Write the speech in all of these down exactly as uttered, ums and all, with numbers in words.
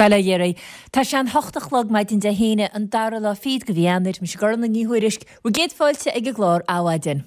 Bail ó Dhia oraibh. Tá sé an hocht a chlog maidin Dé hAoine, an dara lá fichead de mhí Eanáir. Mise Gormfhlaith Ní Thuairisg, bhur gcéad fáilte ag an gclár Adhmhaidin.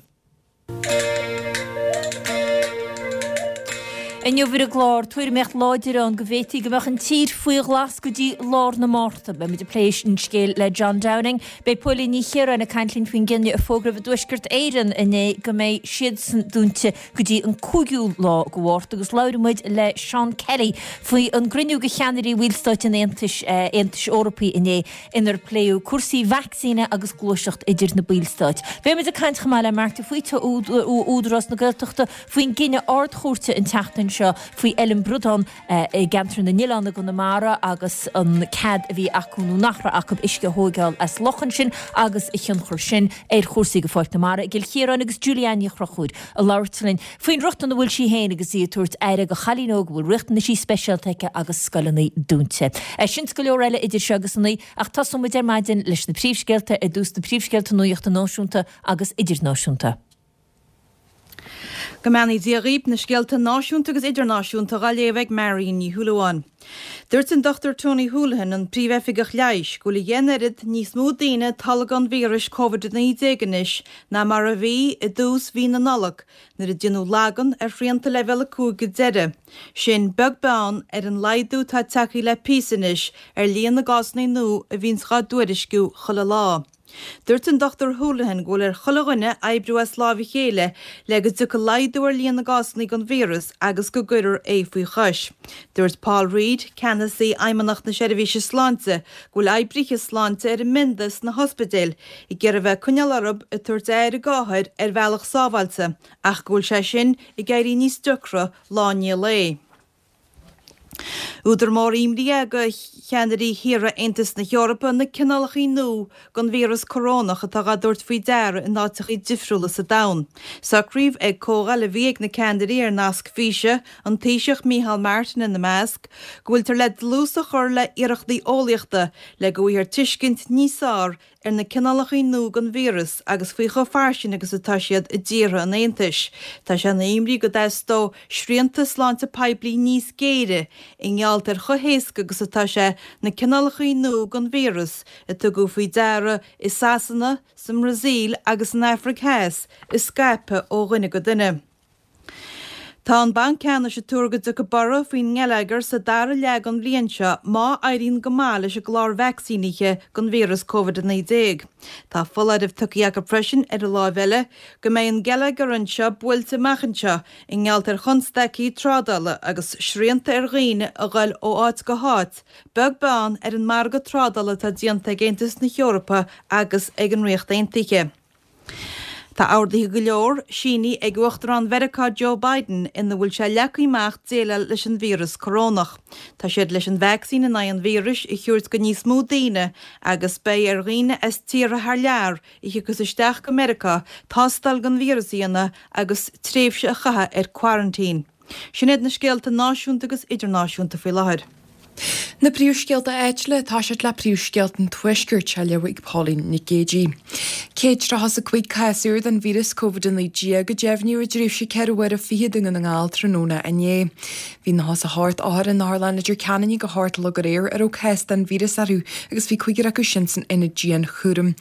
Inniu ar an gclár, tuairimíocht láidir ann go bhféadfaí go mbeadh an tír faoi ghlas go dtí lár na Márta. Beidh muid ag plé an scéil le John Downing. Beidh Póilín Ní Chiaráin ag caint linn faoin gcinneadh a fógraíodh i dTuaisceart Éireann inné go mbeidh siadsan dúnta go dtí an cúigiú lá de Mhárta agus labhróidh muid le Seán Kelly faoi an gcruinniú de cheannairí bhallstáit an Aontais Aontais Eorpaigh inné inar pléadh cúrsaí vacsaíne agus gluaiseacht idir na ballstáit. Beidh muid ag caint chomh maith le Mark de Faoite ó Údarás na Gaeltachta faoin gcinneadh Ard-Chúirte an tseachtain seo faoi Fheilm Bradán i gceantar na nOileán i gConamara agus an cead a bhí acu nó nach raibh acu uisce a thóigeáil as loch ansin agus a thionchar sin ar chúrsaí go Pháirc na Mara i gCill Chiaráin agus Julie Anne Ní Chonchúir ag labhairt linn faoin rochtain a bhfuil sí féin agus í ag tabhairt aire do chailín óg a bhfuil riachtanaisí speisialta aici agus scoileanna dúnta. Sin is go leor eile idir seo agus a naoi ach tosóidh muid ar maidin leis na príomhscéalta, ar dtús na príomhscéalta nuachta náisiúnta agus idirnáisiúnta. Go mbeannaí Dia dhaoib, na scéalta náisiúnta agus idirnáisiúnta dhá léamh ag Marion Ní Shúilleabháin. Dúirt an Dochtúir Tony Holohan, an Príomh-Oifigeach Leighis, go bhfuil a dheich n-oiread níos mó daoine ag tolgadh an víris Covid a naoi déag anois ná mar a bhí i dtús mhí na Nollag nuair a déanadh lagan ar shrianta Leibhéal a cúig go deireadh. Sin beag beann ar an laghdú atá tagtha le píosa anois ar líon na gcásanna nua a bhíonns dhá dtuairisciú chuile lá. Dúirt an Dochtúir Holohan go bhfuil ar chuile dhuine oibriú as láimh a chéile le go dtiocfaidh laghdú ar líon na gcásanna den víreas agus go gcuirfear é faoi chois. Dúirt Paul Reid, Ceannasaí Fheidhmeannacht na Seirbhíse Sláinte, go bhfuil oibrithe sláinte ar a mbionda sna hospidéil ag iarraidh bheith ag coinneáil orthu ag tabhairt aire d'othair ar bhealach sábháilte ach go bhfuil sé sin ag éirí níos deacra lá i ndiaidh lae. Údar mór imní é do cheannairí thíortha Aontas na hEorpa na cineálacha nua den víreas corónach atá dhá dtabhairt faoi deara in áiteacha difriúla sa domhan. Socraíodh ag comhdháil a bhí ag na ceannairí ar nasc físe, an Taoiseach Micheál Martin ina measc, go bhfuiltear le dlús a chur le hiarrachtaí eolaíochta le go bhfaighfear tuiscint níos fearr ar na cineálacha nua den víreas agus faoi chomh fairsing agus atá siad i dtíortha an Aontais. Tá sé ina imní go dteastódh srianta sláinte poiblí níos géire i ngeall ar chomh héasca agus atá sé na cineálacha nua den víreas a tugadh faoi deara i Sasana, sa mBrasaíl agus san Afraic Theas a scaipeadh ó dhuine go duine. Tá an Banc Ceannais ag tuar go dtiocfaidh borradh faoin ngeilleagar sa dara leath den bhliain seo má éiríonn go maith leis an gclár vacsaínithe don víreas Covid a naoi déag. Tá foláireamh tugtha acu freisin ar an láimh eile go mbeidh an geilleagar anseo buailte amach anseo i ngeall ar chonstaicí trádála agus srianta ar dhaoine a ghoil ó áit go háit, beag beann ar an margadh trádála atá déanta ag Aontas na hEorpa agus ag an Ríocht Aontaithe. Tá orduithe go leor sínithe ag Uachtarán Mheiriceá Joe Biden ina bhfuil sé leagtha amach déileáil leis an víreas corónach. Tá siad leis an vacsaín in aghaidh an víris a thabhairt go níos mó daoine agus beidh ar dhaoine as tíortha thar lear a thiocfas isteach go Meiriceá tástáil don víreas a dhéanamh agus tréimhse a chaitheamh ar quarantine. Sin iad na scéalta náisiúnta agus idirnáisiúnta faoi láthair. Na príomhscéalta áitiúla ag toiseacht le príomhscéalta an Tuaiscirt á léamh ag Pauline Nic Géidigh. Céad tríocha is a cúig cás úr den víreas Covid a naoi déag a deimhníodh i dtréimhse ceithre huaire fichead i nDún na nGall tráthnóna inné. Bhí nócha is a hocht othar in otharlann Leitir Ceanainn ag a hocht a chlog aréir a raibh cás den víreas orthu agus bhí cúigear acu sin san ionad dianchúraim.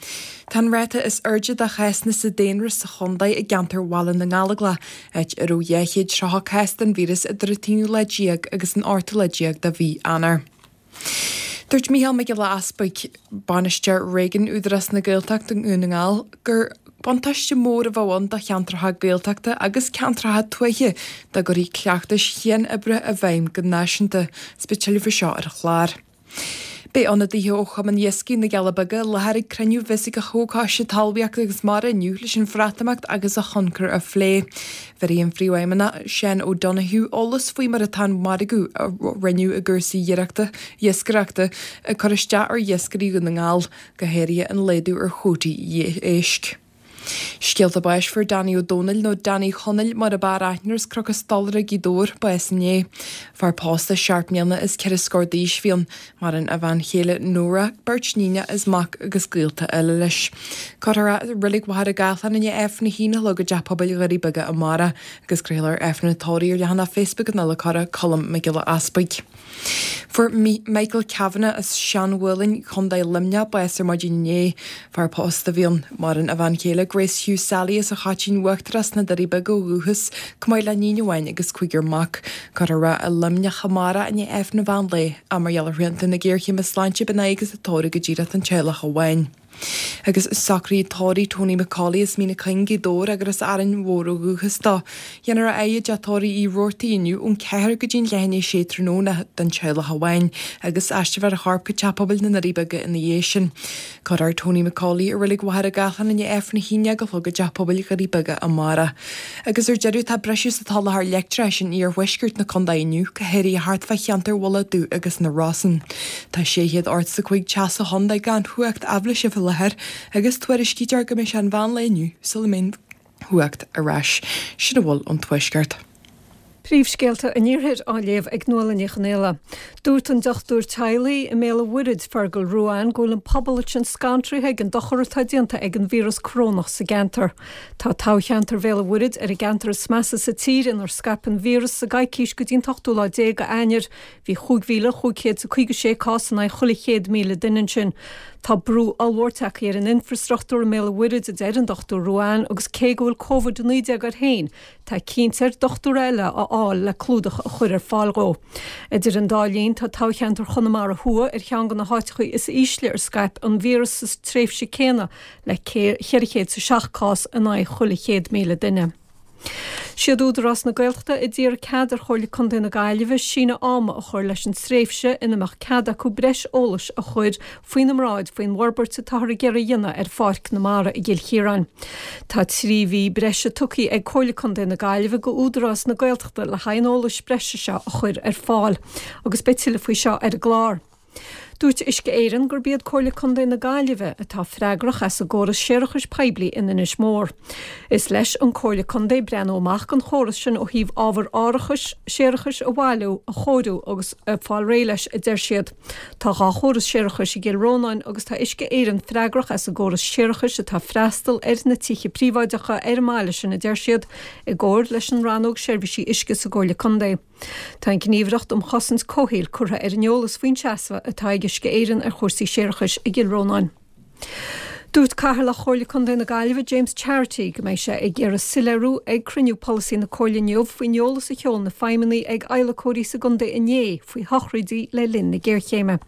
Tá an ráta is airde de chásanna sa daonra sa chontae i gceantar Bhaile na nGallóglach, áit a raibh dhá chéad tríocha cás den víreas idir an t-aonú lá déag agus an ochtú lá déag de mhí Eanáir. Dúirt Mícheál Mac Giolla Easbuig, Bainisteoir Réigiúin Údarás na Gaeltachta i nDún na nGall, gur buntáiste mór a bheadh ann do cheantracha Gaeltachta agus ceantracha tuaithe dá gcuirfí cleachtais chian-oibre i bhfeidhm go náisiúnta. Is beidh tuilleadh faoi seo ar an chlár. Beidh ionadaithe ó Chumann Iascaigh na gCealla Beaga i láthair ag cruinniú bhisigh Chomhchoiste Talmhaíochta agus Mara inniu leis an Bhreatimeacht agus a thionchar a phlé. Bhéarfaidh an Phríomhfheidhmeannach Seán O'Donoghue eolas faoi mar atá an margadh a rinneadh i gcúrsaí iascaireachta ag cur isteach ar iascairí Dhún na nGall, go háirithe an laghdú ar chuótaí éisc. Scéalta báis Fuair Danny Ó Dónaill nó Danny Chonaill mar ab fhearr aithne air as Cnoc an Stolaire, Gaoth Dobhair, bás inné. Fear pósta seacht mbliana is ceithre scór d'aois a bhí ann. Maireann a bhean chéile Nóra, beirt níonacha is mac agus gaolta eile leis. Cuirfear é i Reilig Mhachaire Gathlán i ndiaidh Aifreann a haon a chlog i dTeach Pobail Dhoirí Beaga amárach agus craolfar Aifreann an tórraimh ar leathanach Facebook an Adhlacóra, Colm Mac Giolla Easpaig. Fuair Michael Kavanagh as Seanmhuileann, Contae Luimneach, bás ar maidin inné. Fear pósta a bhí ann. Maireann a bhean chéile Grace Hugh Sally as an Choitín Uachtarach sna Doirí Beaga ó dhúchas, chomh maith le níon amháin agus cúigear mac. Cuirfear é i Luimneach amárach i ndiaidh Aifreann an mheán lae. Ach mar gheall ar shrianta na géarchéime sláinte beidh an adhaigh agus an tórramh go díreach don teaghlach amháin. Agus socruithe tórraimh Tony McCauley as Mín an Chuing, Gaoth Dobhair agus as Árainn Mhór ó dhúchas dó. Dhéanfar a adhadh i dteach tórraimh Uí Robhartaigh inniu ón ceathair go dtí an leath i ndiaidh a sé tráthnóna don teaghlach amháin agus aistreofar a chorp go Teach Pobail na nDoirí Beaga ina dhiaidh sin. Cuirfear Tony McCauley i Reilig Mhachaire Gathlán i ndiaidh Aifreann a haon déag a chlog i dTeach Pobail Dhoirí Beaga amárach. Agus ar deireadh tá briseadh sa tsoláthar leictreachais in iarthuaisceart na contae inniu, go háirithe thart fá cheantar Mhullach Dubh agus na Rosann. Tá sé chéad ochtó is a cúig teach sa chontae gan chumhacht aibhléise faoi láthair agus tuairiscítear go mbeidh sé an mheán lae inniu sula mbeidh an chumhacht ar ais. Sin a bhfuil ón Tuaisceart. Príomhscéalta an Iarthair á léamh ag Nuala Ní Chonghaile. Dúirt an dochtúir teaghlaigh i mBéal an Mhuirthead, Fergal Ruane, go bhfuil an pobal ansin scanraithe ag an dochar atá déanta ag an víreas corónach sa gceantar. Tá toghcheantar Bhéal an Mhuirthead ar an gceantar is measa sa tír inar scaip an víreas sa gcoicís go dtí an t-ochtú lá déag d'Eanáir. Bhí chúig mhíle chúig chéad is a caoga sé cás in aghaidh chuile chéad míle duine ansin. Tá brú ollmhór tagtha ar an infreastruchtúr i mBéal an Mhuirthead, a deir an Dochtúir Ruane, agus cé go bhfuil Covid a naoi déag air féin, tá cinnte air dochtúir eile a fháil le clúdach a chur ar fáil dhó. Idir an dá linn, tá toghcheantar Chonamara Thuaidh ar cheann de na háiteacha is ísle ar scaip an víreas sa tréimhse céanna le ceithre chéad is a seacht cás in aghaidh chuile chéad míle duine. Siad Údarás na Gaeltachta a d'iarr cead ar Chomhairle Contae na Gaillimhe síneadh ama a chur leis an tréimhse ina mbeadh cead acu breis eolais a chur faoina mbráid faoin bhforbairt atáthar ag iarraidh a dhéanamh ar Pháirc na Mara i gCill Chiaráin. Tá trí mhí breise tugtha ag Comhairle Contae na Gaillimhe go Údarás na Gaeltachta le haghaidh an eolais breise seo a chur ar fáil agus beidh tuilleadh faoi seo ar an gclár. Dúirt Uisce Éireann gurb iad Comhairle Contae na Gaillimhe atá freagrach as an gcóras séarachais poiblí in Inis Mór. Is leis an Comhairle Contae breathnú amach don chóras sin ó thaobh ábhar árachais séarachais a bhailiú, a chóiriú agus fáil réidh leis, a deir siad. Tá dhá chóras séarachais i gCill Rónáin agus tá Uisce Éireann freagrach as an gcóras séarachais atá ag freastal ar na tithe príobháideacha ar an mbaile sin, a deir siad, i gcomhar leis an Rannóg Seirbhísí Uisce sa gComhairle Contae. Tá an Ghníomhaireacht um Chosaint Comhshaoil curtha ar an eolas faoin seasamh atá ag Uisce Éireann ar chúrsaí séarachais i gCill Rónáin. Dúirt Cathaoirleach Chomhairle Contae na Gaillimhe James Charity go mbeidh sé ag iarraidh soiléiriú ag cruinniú polasaí na Comhairle inniu faoin eolas a sheol na feidhmeannaigh ag adhlacóirí sa gcontae inné faoi shochraidí le linn na géarchéime.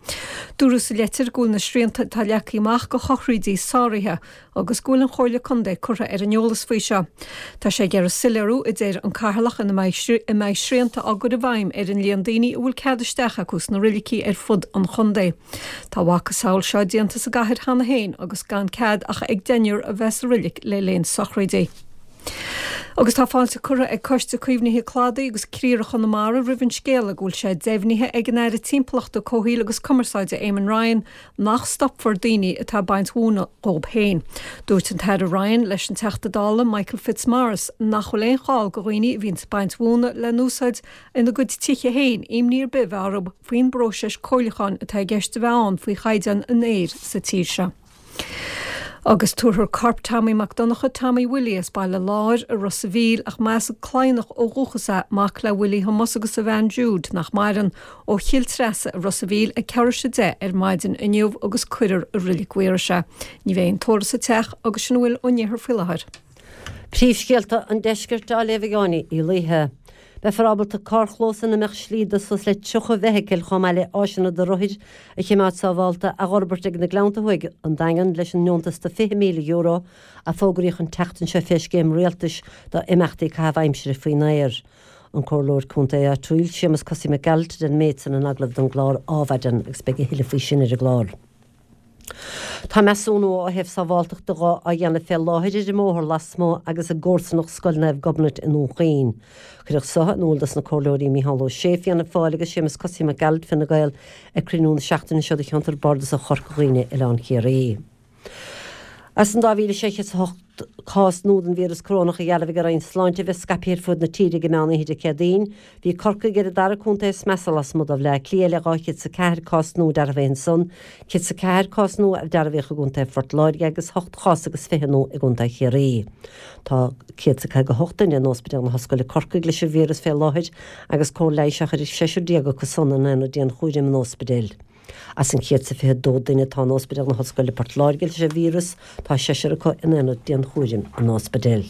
Dúradh sa leitir go bhfuil na srianta atá leagtha amach go shochraidí sáraithe agus go bhfuil an Chomhairle Contae curtha ar an eolas faoi seo. Tá sé ag iarraidh soiléiriú, a deir an Cathaoirleach, ina mbeidh srianta á gcur i bhfeidhm ar an líon daoine a bhfuil cead isteach acu sna roilicí ar fud an chontae. Tá a mhacasamhail seo déanta sa gcathair cheana féin agus gan cead ach ag deichniúr a bheith sa roilic le linn sochraidí. Agus tá fáilte curtha ag Coiste Caomhnaithe Cladaigh agus Criara Chonamara roimh an scéala go bhfuil sé deimhnithe ag an Aire Timpeallachta, Comhshaoil agus Cumarsáide Eamon Ryan nach stopfar daoine atá ag baint mhóna dhóib féin. Dúirt an tAire Ryan leis an Teachta Dála Michael Fitzmaurice nach bhfuil aon chall go dhaoine a bhíonns ag baint mhóna le n-úsáid ina gcuid tithe féin imní ar bith a bheith orthu faoin bpróiseas comhairliúcháin atá i gceist a bheith ann faoi chaighdeán an aeir sa tír seo. Agus tabharfar corp Tommy Mac Donncha, Tommy Willie, as Baile Láir i Ros a' Mhíl, ach measadh Cladhnach ó dhúchas é, mac le Willie Thomas agus a bhean Jude, nach maireann, ó Chill Treasa i Ros a' Mhíl ag ceathrú tar éis a deich ar maidin inniu agus cuirfear i Reilig Mhaorais é. Ní bheidh aon tórramh sa teach agus sin a bhfuil ón iarthar faoi láthair. Príomhscéalta an Deiscirt á léamh ag Áine Uí Laoithe. Beifear ábalta carrchlós ina mbeadh slí do suas le tríocha feithicil chomh maith le áiseanna do rothair a choimeád sábhálta a dh'fhorbairt ag na Gleannta Thuaidh an Daingean leis an ndeontas de fiche míle euro a fógraíodh an tseachtain seo fé scéim rialtais do imeachtaí caitheamh aimsire faoin aer. An Comhairleoir Contae áitiúil Séamus Cosaí Mac Gearailt a deir an méid san in agallamh don gclár Adhmhaidin agus beidh a thuilleadh faoi sin ar an gclár. Tá measúnú ó thaobh sábháltachta dhá á dhéanamh fé láthair ar an mbóthar lasmuigh agus i gcomharsanacht Scoil Naomh Gobnait i nDún Chaoin. Cuireadh so in iúl dos na Comhairleoirí Micheál Ó Sé, Fianna Fáil agus Séamus Cosaí Mac Gearailt, Fine Gael, ag cruinniú na seachtaine seo de cheantar Bardasach Chorca Dhuibhne, Oileán Ciarraí. As an dá mhíle sé chéad is a hocht ocht cás nua den víreas corónach a dhearbhaigh an Roinn Sláinte a bheith scaipthe ar fud na tíre ag meán oíche Dé Céadaoin. Bhí Corcaigh ar an dara contae is measa lasmuigh de Bhaile Átha Cliath le dhá chéad is a ceathair cás nua dearbhaithe ansan, céad is a ceathair cás nua a dearbhaíodh i gContae Phort Láirge agus ocht chás agus fiche nua i gContae Chiarraí. Tá céad is a caoga hocht duine in Ospidéal na hOllscoile Corcaigh leis an víreas fé láthair agus cóir leighis á chur ar seisear déag acu san in aonad dianchúraim an ospidéil. As an chéad is a fiche dó duine atá in Ospidéal na hOllscoile Port Láirge leis an víreas, tá seisear acu in aonad dianchúraim an ospidéil.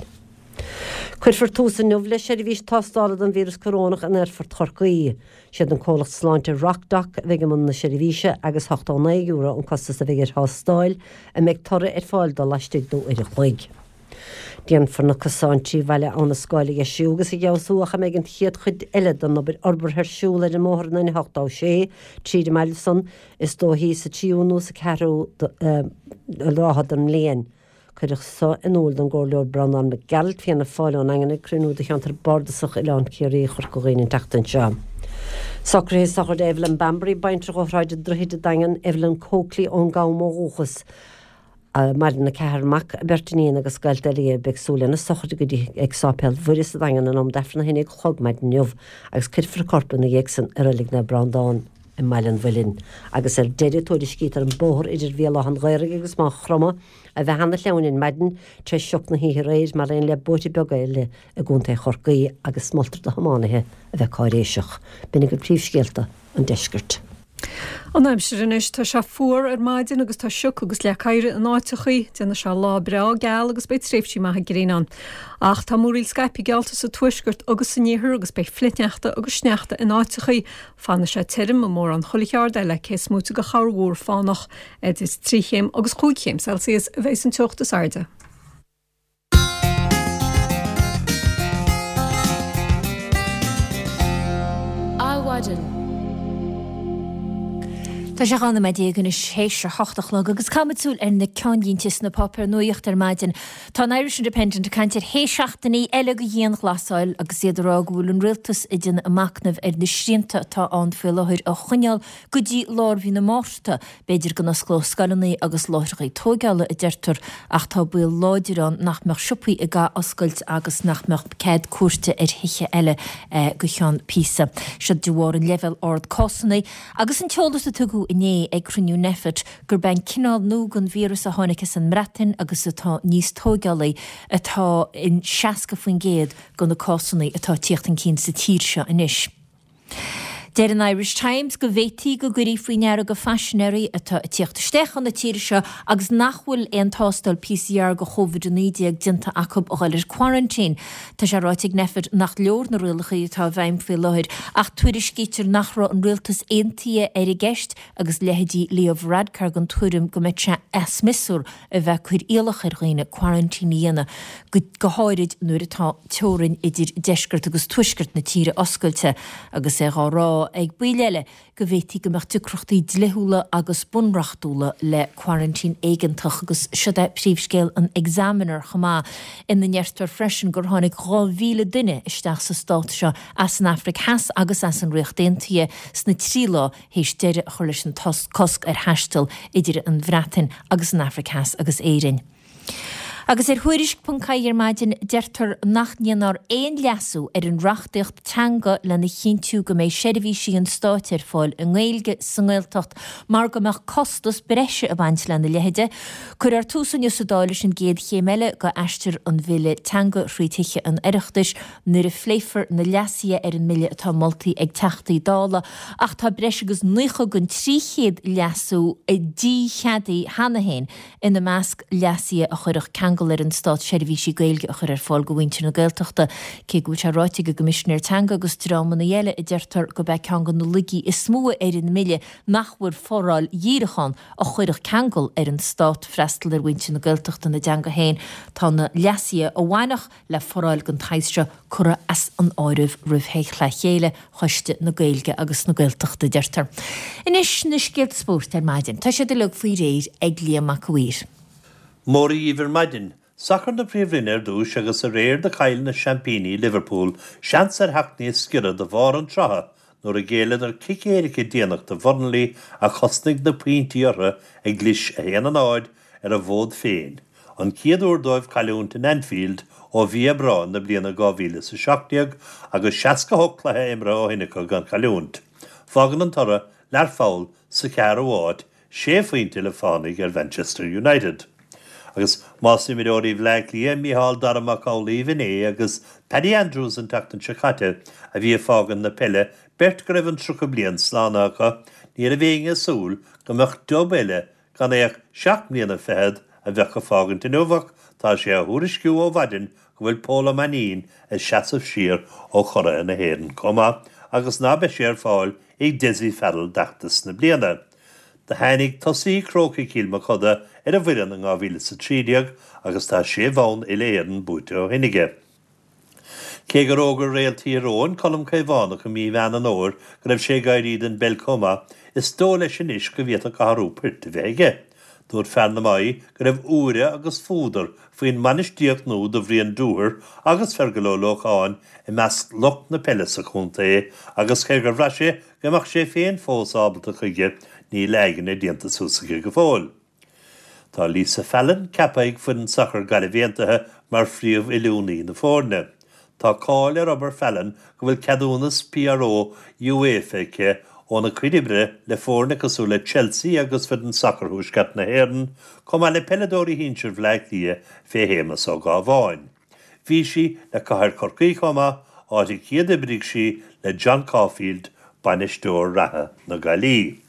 Cuirfear tús inniu le seirbhís tástála don víreas corónach in Aerfort Chorcaí. Siad an comhlacht sláinte RocDoc a bheidh i mbun na seirbhíse agus ochtó naoi euro an costas a bheidh ar thástáil a mbeidh toradh ar fáil dó laistigh d'uair a chloig. Déanfar na cosáin trí Bhaile Abha na Scáil a dheisiú agus a fheabhsú ach a mbeidh an chéad chuid eile den obair fhorbartha ar siúl ar an mbóthar an N ochtó sé tríd an mbaile san is dóichí sa tríú nó sa cheathrú ráithe den mbliain. Cuireadh so in iúl don gComhairleoir Breandán Mac Gearailt, Fianna Fáil ón nDaingean ag cruinniú de cheantar bardasach Oileán Ciarraí Chorca Dhuibhne an tseachtain seo. Socruithe sochraide Evelyn Bambury, baintreach ó Shráid an Droichid an Daingean, Evelyn Coakley ón gCam ó dhúchas. Maireann a ceathrar mac, a beirt iníon agus gaolta eile. Beidh súil lena sochraid go dtí ag Sáipéal Mhuire sa Daingean in am d'Aifreann a haon déag a chlog maidin inniu agus cuirfear a corp ina dhiaidh san i Reilig Naomh Breandán i mBaile an Mhuilinn. Agus ar deireadh tuairiscítear an bóthar idir Bhéal Átha an Ghaorthaidh agus Maigh Chromtha a bheith ana-shleamhain ar maidin tar éis sioc na hoíche aréir mar aon le bóithre beaga eile i gContae Chorcaí agus moltar do thiománaithe a bheith cáiréiseach. B'in agaibh príomhscéalta an deiscirt. An aimsir anois, tá sé fuar ar maidin agus tá sioc agus leac oighir in áiteachaí. Déanfaidh sé lá breá geal agus beidh tréimhsí maithe gréine ann. Ach tá múraíl scaipthe geallta sa tuaisceart agus san iarthar agus beidh flichshneachta agus sneachta in áiteachaí. Fanfaidh sé tirim i mórán chuile cheard eile, cé is móite de chorrmhúr fánach. Idir trí chéim agus chúig chéim Celsius a bheidh an teocht is airde. Adhmhaidin. Tá sé dhá nóiméad déag anois théis a hocht a chlog agus caithfimid súil ar na ceannlínte sna páipéir nuachta ar maidin. Tá an Irish Independent ag caint ar shé seachtainí eile de dhianghlasáil agus iad ag rá go bhfuil an rialtas ag déanamh a machnaimh ar na srianta atá ann faoi láthair a choinneáil go dtí lár mhí na Márta. B'fhéidir go n-osclódh scoileanna agus láithreacha tóigeála, a deirtear, ach tá baol láidir ann nach mbeadh siopaí ag athoscailt agus nach mbeadh cead cuairte ar thithe eile go ceann píosa. Seo de bharr an leibhéal ard cásanna agus an t-eolas a tugadh inné ag cruinniú Nphet gurb é an cineál nua den víreas a tháinig as an mBreatain agus atá níos tóigeálaí atá in seasca faoin gcéad de na cásanna atá ag tíocht chun cinn sa tír seo anois. Deir an Irish Times go bhféadfaí go gcuirfí faoi ndeara go phaisinéirí atá ag tíocht isteach chun na tíre seo agus nach bhfuil aon tástáil P C R go Covid a naoi déag déanta acu a dhul ar quarantine. Tá sé ráite ag Nphet nach leor na rialacha atá i bhfeidhm faoi láthair ach tuairiscítear nach raibh an rialtas aontaithe ar an gceist agus leithéidí Leo Varadkar den tuairim go mbeadh sé as miosúr a bheith ag cur iallach ar dhaoine quarantine a dhéanamh, go háirid nuair atá teorainn idir deisceart agus tuaisceart na tíre oscailte, agus é dhá rá ag baill eile go bhféadfaí go mbeadh deacrachtaí dlíthiúla agus bunreachtúla le quarantine éigeantach. Agus siod é príomhscéal an Examiner chomh maith, ina ndeirtear freisin gur tháinig dhá mhíle duine isteach sa stát seo as an Afraic Theas agus as an Ríocht Aontaithe sna trí lá théis deireadh a chur leis an cosc ar thaisteal idir an Bhreatain agus an Afraic Theas agus Éirinn. Agus ar Thuairisc ponc ie ar maidin deirtear nach ndéanfar aon leasú ar an reachtaíocht teanga lena chinntiú go mbeidh seirbhísí an stáit ar fáil i nGaeilge sa nGaeltacht mar go mbeadh costas breise ag baint lena leithide. Cuirfear tús inniu sa Dáil leis an gcéad chéim eile go aistear an bhille teanga thrí Thithe an Oireachtais nuair a phléifear na leasuithe ar an mbille atá moltaí ag Teachtaí Dála ach tá breis agus naocha den trí chéad leasú dícheadaithe cheana féin, ina measc leasuithe a chuirfeadh ceangal ar an Stát seirbhísí Gaeilge a chur ar fáil do mhuintir na Gaeltachta. Cé go bhfuil sé ráite ag an gCoimisinéir Teanga agus dreamanna eile a deirtear gurb é ceann de na laigí is mó ar an mbille nach bhfuil foráil dhíreach ann a chuirfeadh ceangal ar an Stát freastal ar mhuintir na Gaeltachta ina dteanga féin, tá na leasuithe a bhainfeadh le foráil den tsaghas seo curtha as an áireamh roimh chlé chéile Choiste na Gaeilge agus na Gaeltachta, deirtear. Anois na scéalta spóirt ar maidin. Tá siad uilig faoi réir ag Liam Mac a' Mhaoir. Mora dhíbh ar maidin. Sacar na Príomhroinne ar dtús agus aréir do chaill na seaimpíní Liverpool seans ar theacht níos giorra do bharr an tsrutha nuair a ghéilleadar cic éirice déanach do Bhurnley a chosnaigh na pointí orthu ag gclis a haon a náid ar a bhfód féin. an chéad uair dóibh cailliúint in Anfield ó mhí Aibreáin na bliana dhá mhíle is a seacht déag agus seasca a hocht cluiche imeartha ó shin acu gan chailliúint. Fágann an toradh Learpholl sa cheathrú háit, sé phointe le fánaidh ar Mhanchester United. Agus más imreoirí Bhleá Cliath, Micheál Dara Mac Amhlaoibh inné agus Paddy Andrews an tseachtain seo caite a bhí ag fágaint na peile, beirt go raibh an tríocha bliain slánaithe acu, ní raibh éinne ag súil go mbeadh Dub eile gan é ach seacht mbliana fichead a bheadh ag fágaint inniu ach tá sé á thuairisciú ó mhaidin go bhfuil Pól Ó Mainnín ag seasamh siar ó churaithe na hÉireann chomh maith agus ná beidh sé ar fáil ag Dessie Farrell d'fheachtas na bliana. Do tháinig tosaí Chrócaigh Chill Mochuda ar an bhfoireann in dhá mhíle is a trí déag agus tá sé bhonn uile-Éireann buaite ó shin aige. Cé gur fhógair réalt Thír Eoghain, Colm Caomhánach i mí Mheán an Fhómhair go raibh sé ag éirí den bpeil chomh maith, is dóigh leis anois go bhféadfadh athrú poirt a bheith aige. Dúirt fear na Mí go raibh úire agus fuadar faoin mbainistíocht nua do Bhrian Dooher agus Fergal Ó Lócháin i measc lucht na peile sa chontae agus cé gur bhraith sé go mbeadh sé féin fós ábalta chuige, níl a aigne déanta suas aige go fóill. Tá Lisa Fallon ceaptha ag foireann sacair Gaillimh Aontaithe mar phríomh-oiliúnaí na foirne. Tá cáil ar obair Fallon go bhfuil ceadúnas P R O UEFA aici óna cuid oibre le foirne cosúil le Chelsea agus foireann sacair Thuaisceart na hÉireann, chomh maith le peileadóirí shinsir Bhaile Átha Cliath fé Shéamus Ó Gábháin. Bhí sí le Cathair Chorcaí chomh maith, áit a chéadoibrigh sí le John Caulfield, bainisteoir reatha na Gaillí.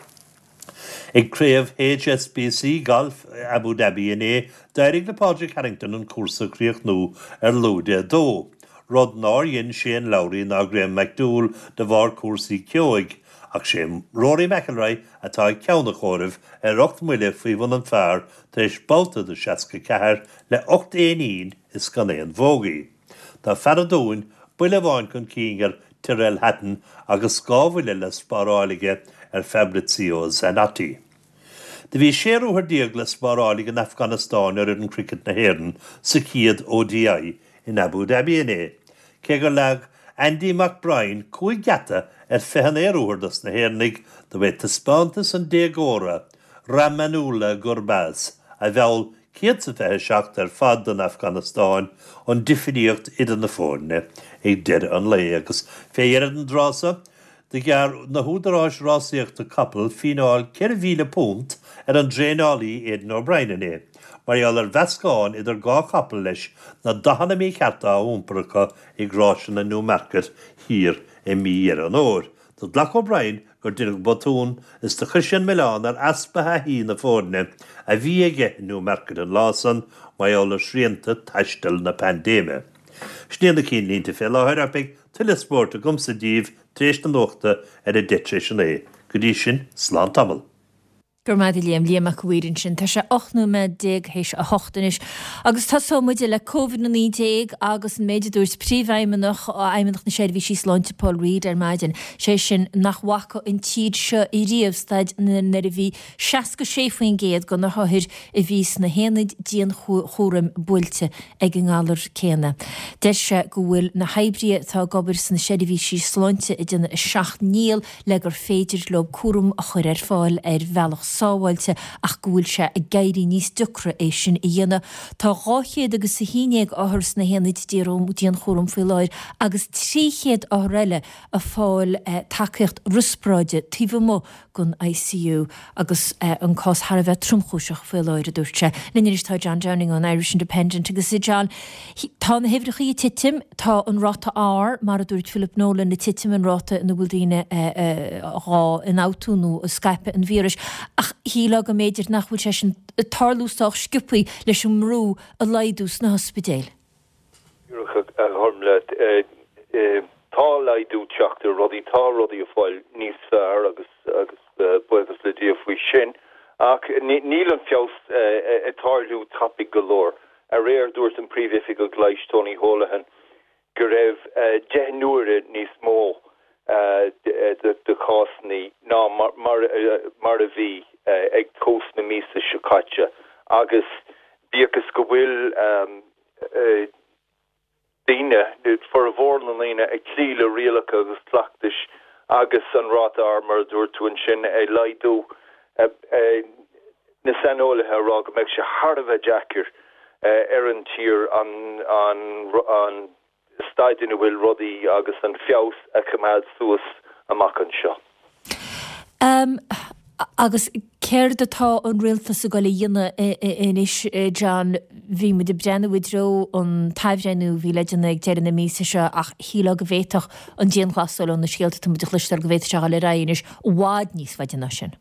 Ag Craobh H S B C Golf Abu Dhabi inné, d'éirigh le Pádraig Harrington an cúrsa a chríochnú ar lúide a dó, rud nár dhein Shane Lowry ná Graham McDowell de bharr cúrsaí ceoigh, ach sé Rory McIlroy atá ag ceann an chomhairimh ar ocht mbuille faoi bhun an phar tar éis babhta de seasca ceathair le ocht éinín is gan aon bhógaí. Tá fear an Dúin buille amháin chun cinn ar Tyrrell Hatton agus dhá bhuille le spáráil aige ar Fabrizio Zanotti. Do bhí sé ruathar déag le spáráil ag an Afganastáin ar fhoireann cricket na hÉireann sa chéad O D I in Abu Dhabi inné. Cé gur leag Andy McBrine cúig gheata ar fiche naoi ruathar dos na hÉireannaigh, do b'é taispeántas an déagóra, Rahmanullah Gurbaz, a mheall céad is a fiche seacht ar fad don Afganastáin, an difríocht idir na foirne ag deireadh an lae. Agus fé dheireadh den dtráth so, do ghearr na húdaráis rásaíochta capall fíneáil ceithre mhíle punt ar an dtraenálaí Aidan O'Brien inné, mar gheall ar mheascán idir dhá chapall leis na dathanna míchearta á iompar acu ag ráiseanna Newmarket thiar i mí Dheireadh an Fhómhair. Do ghlac O'Brien gur deineadh botún is do chuir sé an milleán ar easpa thaithí na foirne a bhí aige i Newmarket an lá san mar gheall ar shrianta taistil na paindéime. Sin iad na cinnlínte fé láthair ach beidh tuilleadh spóirt agamsa daoibh tar éis na nuachta ar a deich tar éis a naoi. Go dtí sin, slán tamall. Go raibh maith agat Liam, Liam Mac a' Mhaoir ansin. Tá sé ocht nóiméad déag théis a hocht anois. Agus tosóidh muid le Covid a naoi déag agus an méid a dúirt Príomhfheidhmeannach Fheidhmeannacht na Seirbhísí Sláinte Paul Reid ar maidin, sé sin nach bhfaca an tír seo riamh staid nuair a bhí seasca sé faoin gcéad de na hothair a bhí sna haonaid dianchúraim buailte ag an ngalar céanna. Deir sé go bhfuil na hoibrithe atá ag obair sna seirbhísí sláinte ag déanamh a seacht ndícheall le gur féidir leo cúram a chur ar fáil ar bhealach sábháilte ach go bhfuil sé ag éirí níos deacra é sin a dhéanamh. Tá dhá chéad agus a haon déag othar sna haonaid dianchúraim faoi láthair agus trí chéad othar eile ag fáil tacaíocht riospráide taobh amuigh den I C U agus an cás thar a bheith tromchúiseach faoi láthair, a dúirt sé. Linn anois tá John Downing ón Irish Independent agus a John, tá na huimhreacha ag titim, tá an ráta R mar a dúirt Philip Nolan ag titim, an ráta ina bhfuil daoine dhá ionfhabhtú nó ag scaipeadh an víris, ach shílfeá go mb'fhéidir nach bhfuil sé sin ag tarlú sách sciobtha leis an mbrú a laghdú sna hospidéil. Tá laghdú teacht ar rudaí, tá rudaí ag fáil níos fearr agus agus buíochas le Dia faoi sin, ach níl an feabhas ag tarlú tapaidh go leor. Aréir dúirt an príomhoifigeach leighis Tony Holohan go raibh deich n-uaire níos mó de chásanna ná mar a bhí ag tús na míosa seo caite agus bíodh is go bhfuil daoine, formhór na ndaoine ag cloí le rialacha agus cleachtais agus an ráta R mar a dúirt tú ansin ag laghdú, na saineolaithe ag rá go mbeidh sé thar a bheith deacair ar an tír an an an staid ina bhfuil rudaí agus an feabhas a choimeád suas amach anseo. Um, agus céard atá an rialtas ag dul a dhéanamh anois, John? Bhí muid ag breathnú i dtreo an t-athbhreithniú a bhí le déanamh ag deireadh na míosa seo ach shílfeá go bhféadfadh an dianghlasáil ó na scéalta atá muid a chloisteáil go bhféadfadh sé a dhul ar aghaidh anois i bhfad níos faide ná sin.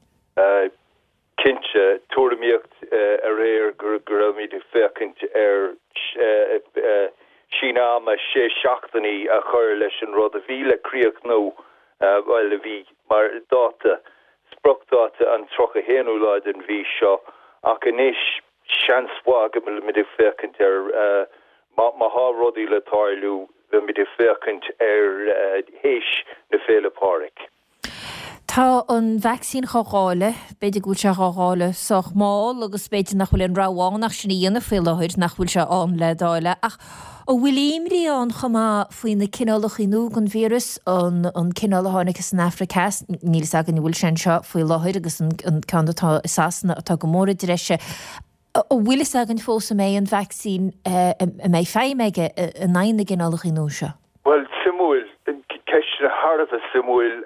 Cinnte, tuairimíocht aréir go raibhimid ag féachaint ar síneadh ama sé seachtainí a chur leis an rud a bhí le críochnú, bhuel, a bhí mar dáta, spriocdháta an tríocha haonú lá den mhí seo, ach anois seans mhaith go bhfuilimid ag féachaint ar, má thá rudaí le tarlú, beimid ag féachaint ar théis na Féile Pádraig. Tá an vacsaín dhá dháileadh, b'fhéidir go bhfuil sé dhá dháileadh sách mall agus b'fhéidir nach bhfuil aon rogha ann ach sin a dhéanamh faoi láthair, nach bhfuil sé ann le dáileadh. Ach an bhfuil imní ann chomh maith faoi na cineálacha nua den víreas, an an cineál a tháinig as an Afraic Theas, níl fhios againn an bhfuil sé anseo faoi láthair agus an ceann atá i Sasana atá go mór i dtreise. An bhfuil fhios againn fós an mbeidh an vacsaín, an mbeidh feidhm aige in aghaidh na gcineálacha nua seo? Bhuel, suimiúil, ceisteanna thar a bheith suimiúil.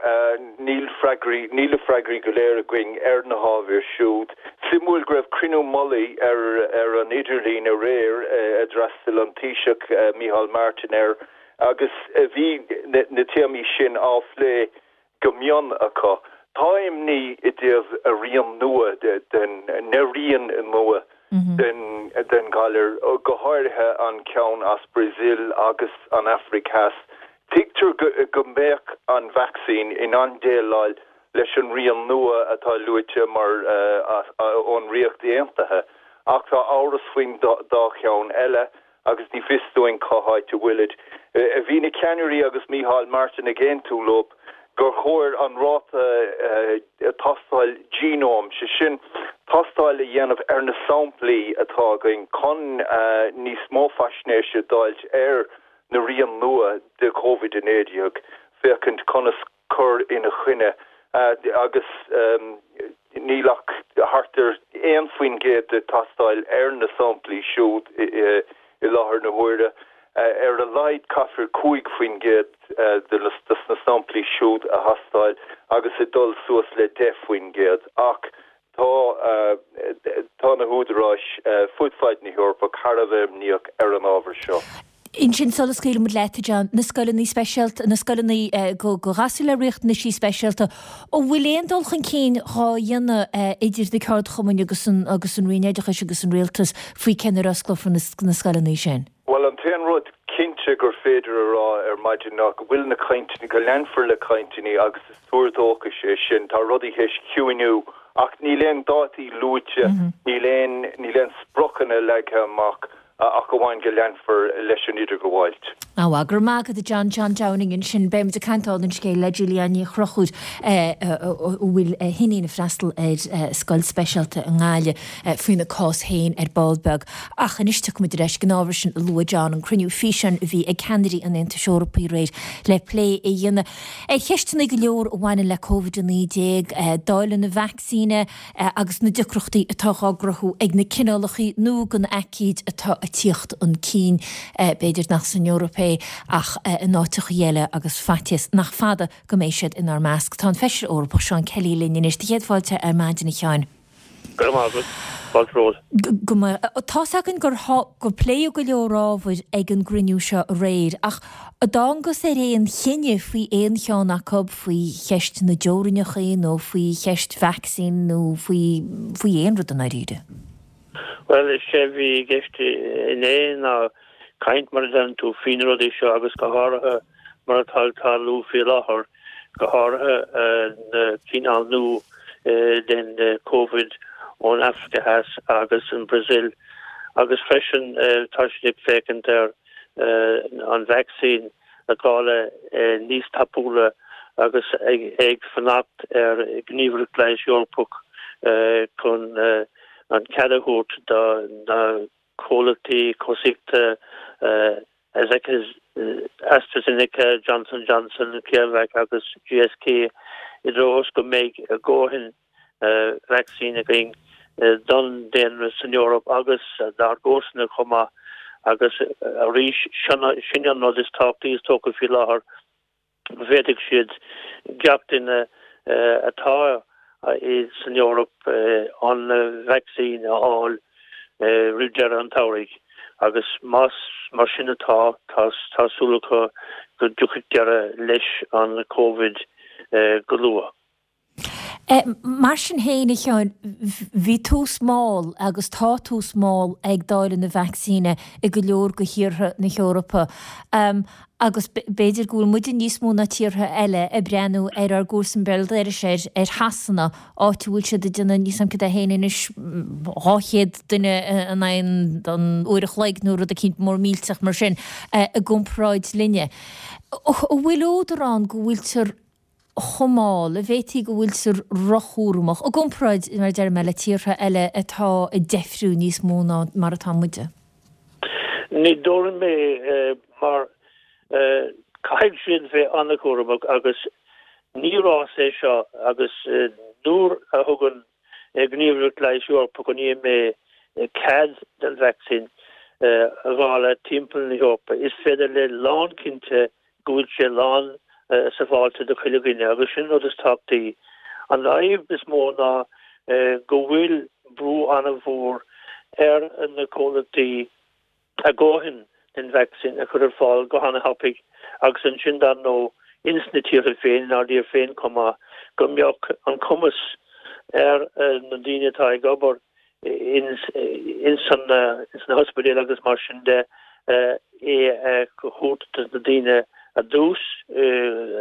Níl freagraí, níl na freagraí go léir againn ar na hábhair siúd. Suimiúil go raibh cruinniú mullaigh ar ar an idirlíon aréir a d'fhreastail an Taoiseach Micheál Martin air agus bhí na téamaí sin á phlé go mion acu. Tá imní i dtaobh a rian nua den, na rian nua den den ghalar, go háirithe an ceann as Brazil agus an Afraic Theas. Tuigtear go go mbeadh an vacsaín in ann déileáil leis an rian nua atá luaite mar ón Ríocht Aontaithe, ach tá amhras faoin dá cheann eile. agus ní fios dúinn cá háit a bhfuilid. Bhí na ceannairí agus Micheál Martin ag aontú leo gur chóir an ráta tástáil genome, sé sin tástáil a dhéanamh ar na samplaí atá againn chun níos mó faisnéise d'fháilt ar na rian nua de Covid a naoi déag, féachaint conas cur ina choinne agus níl ach thart ar aon faoin gcéad de tástáil ar na samplaí siúd i láthair na huaire. Ar a laghad caithfear cúig faoin gcéad de na samplaí siúd a thástáil agus ag dul suas le deich faoin gcéad. Ach tá tá na húdaráis fud fad na hEorpa thar a bheith imníoch ar an ábhar seo. Ansin sula scaoilimid leat, a John, na scoileanna speisialta, na scoileanna go ghasúir le riachtanaisí speisialta, an bhfuil aon dul chun cinn dhá dhéanamh idir na ceardchumainn agus an agus an Roinn Oideachais agus an Rialtas faoi cén uair a osclófar na scoileanna sin? Bhuel, an t-aon rud cinnte gur féidir a rá ar maidin ná go bhfuil na cainteanna, go leanfar le cainteanna agus is tuar dóchais é sin. Tá rudaí théis ciúiniú ach níl aon dátaí luaite, níl aon níl aon spriocanna leagtha amach. ach amháin go leanfar leis an idirghabháilt. Á, go raibh maith agat a John, John Downing ansin. Beidh muid ag caint dála an scéil le Julianne Ní Chonchúir a bhfuil a hiníon ag freastal ar scoil speisialta i nGaillimh faoina cás féin ar ball beag. Ach anois tiocfaidh muid ar ais go dtí an ábhar sin a luaigh John, an cruinniú físeáin a bhí ag ceannairí an Aontais Eorpaigh aréir le plé a dhéanamh ar cheisteanna go leor a bhaineann le Covid a naoi déag, dáileadh na vacsaíne, agus na deacrachtaí atá dhá gcruthú ag na cineálacha nua den aicíd atá ag tíocht chun cinn, b'fhéidir nach san Eoraip é ach in áiteacha eile agus faitíos nach fada go mbeidh siad inár measc. Tá an Feisire Eorpach Seán Kelly linn anois. Do chéad fáilte ar maidin a Sheáin. Go raibh maith agat. Fáilte romhat. Go mba. Tá's againn gur gur pléadh go leor ábhair ag an gcruinniú seo aréir ach an dtángas ar aon chinneadh faoi aon cheann acu, faoi cheist na dteorainneacha nó faoi cheist vacsaín nó faoi faoi aon rud i ndáiríre? Bhuel, is é a bhí i gceist inné ná caint, mar a deireann tú, faoi na rudaí seo agus go háirithe mar atá ag tarlú faoi láthair, go háirithe na cineál nua den Covid ón Afraic Theas agus an Brazil agus freisin tá siad ag féachaint ar an vacsaín a dháileadh níos tapúla agus ag fanacht ar Ghníomhaireacht Leighis Eorpach chun an cead a thabhairt do na comhlachtaí cobhsaíochta AstraZeneca, Johnson Johnson, CureVac agus G S K i dtreo is go mbeidh dhóthain vacsaín againn don daonra san Eoraip agus dár gcomharsana chomh maith agus arís sin an rud is tábhachtaí is dócha faoi láthair, go bhféadfaidh siad gach duine atá san Eoraip an vacsaín a fháil roimh deireadh an tsamhraidh agus más mar sin atá, tá súil acu go dtiocfaidh deireadh leis an Covid go luath. Mar sin féin, a Sheáin, bhí tús mall agus tá tús mall ag dáileadh na vacsaíne i go leor de thíortha na hEorpa agus b'fhéidir go bhfuil muide níos mó ná tíortha eile ag breathnú ar ár gcomharsain béal dorais, ar Shasana, áit a bhfuil siad ag déanamh níl a fhios agam cad é féin anois, dhá chéad duine in aghaidh an uair a chloig nó rud eicínt mór millteach mar sin i gcomparáid linne. An bhfuil údar ann go bhfuiltear chomh mall, an bhféadfaí go bhfuiltear róchúramach, i gcomparáid, mar a deir mé, le tíortha eile atá ag deifriú níos mó ná mar atá muide? Ní dóigh liom é, mar caithfidh siad bheith an-chúramach agus ní rás é seo agus nuair a thugann Gníomhaireacht Leighis Eorpach, an EMA, cead don vacsaín a dháileadh timpeall na hEorpa, is féidir le lánchinnte go bhfuil sé lán sábháilte do chuile dhuine agus sin an rud is tábhachtaí. An fhadhb is mó ná go bhfuil brú an-mhór ar na comhlachtaí a dhóthain den vacsaín a chur ar fáil go han-thapaidh agus ansin dar ndóigh ins na tíortha féin, inár dtír féin chomh maith, go mbeadh an cumas ar na daoine atá ag obair ins ins na hospidéil agus mar sin de é a thabhairt do na daoine ar dtús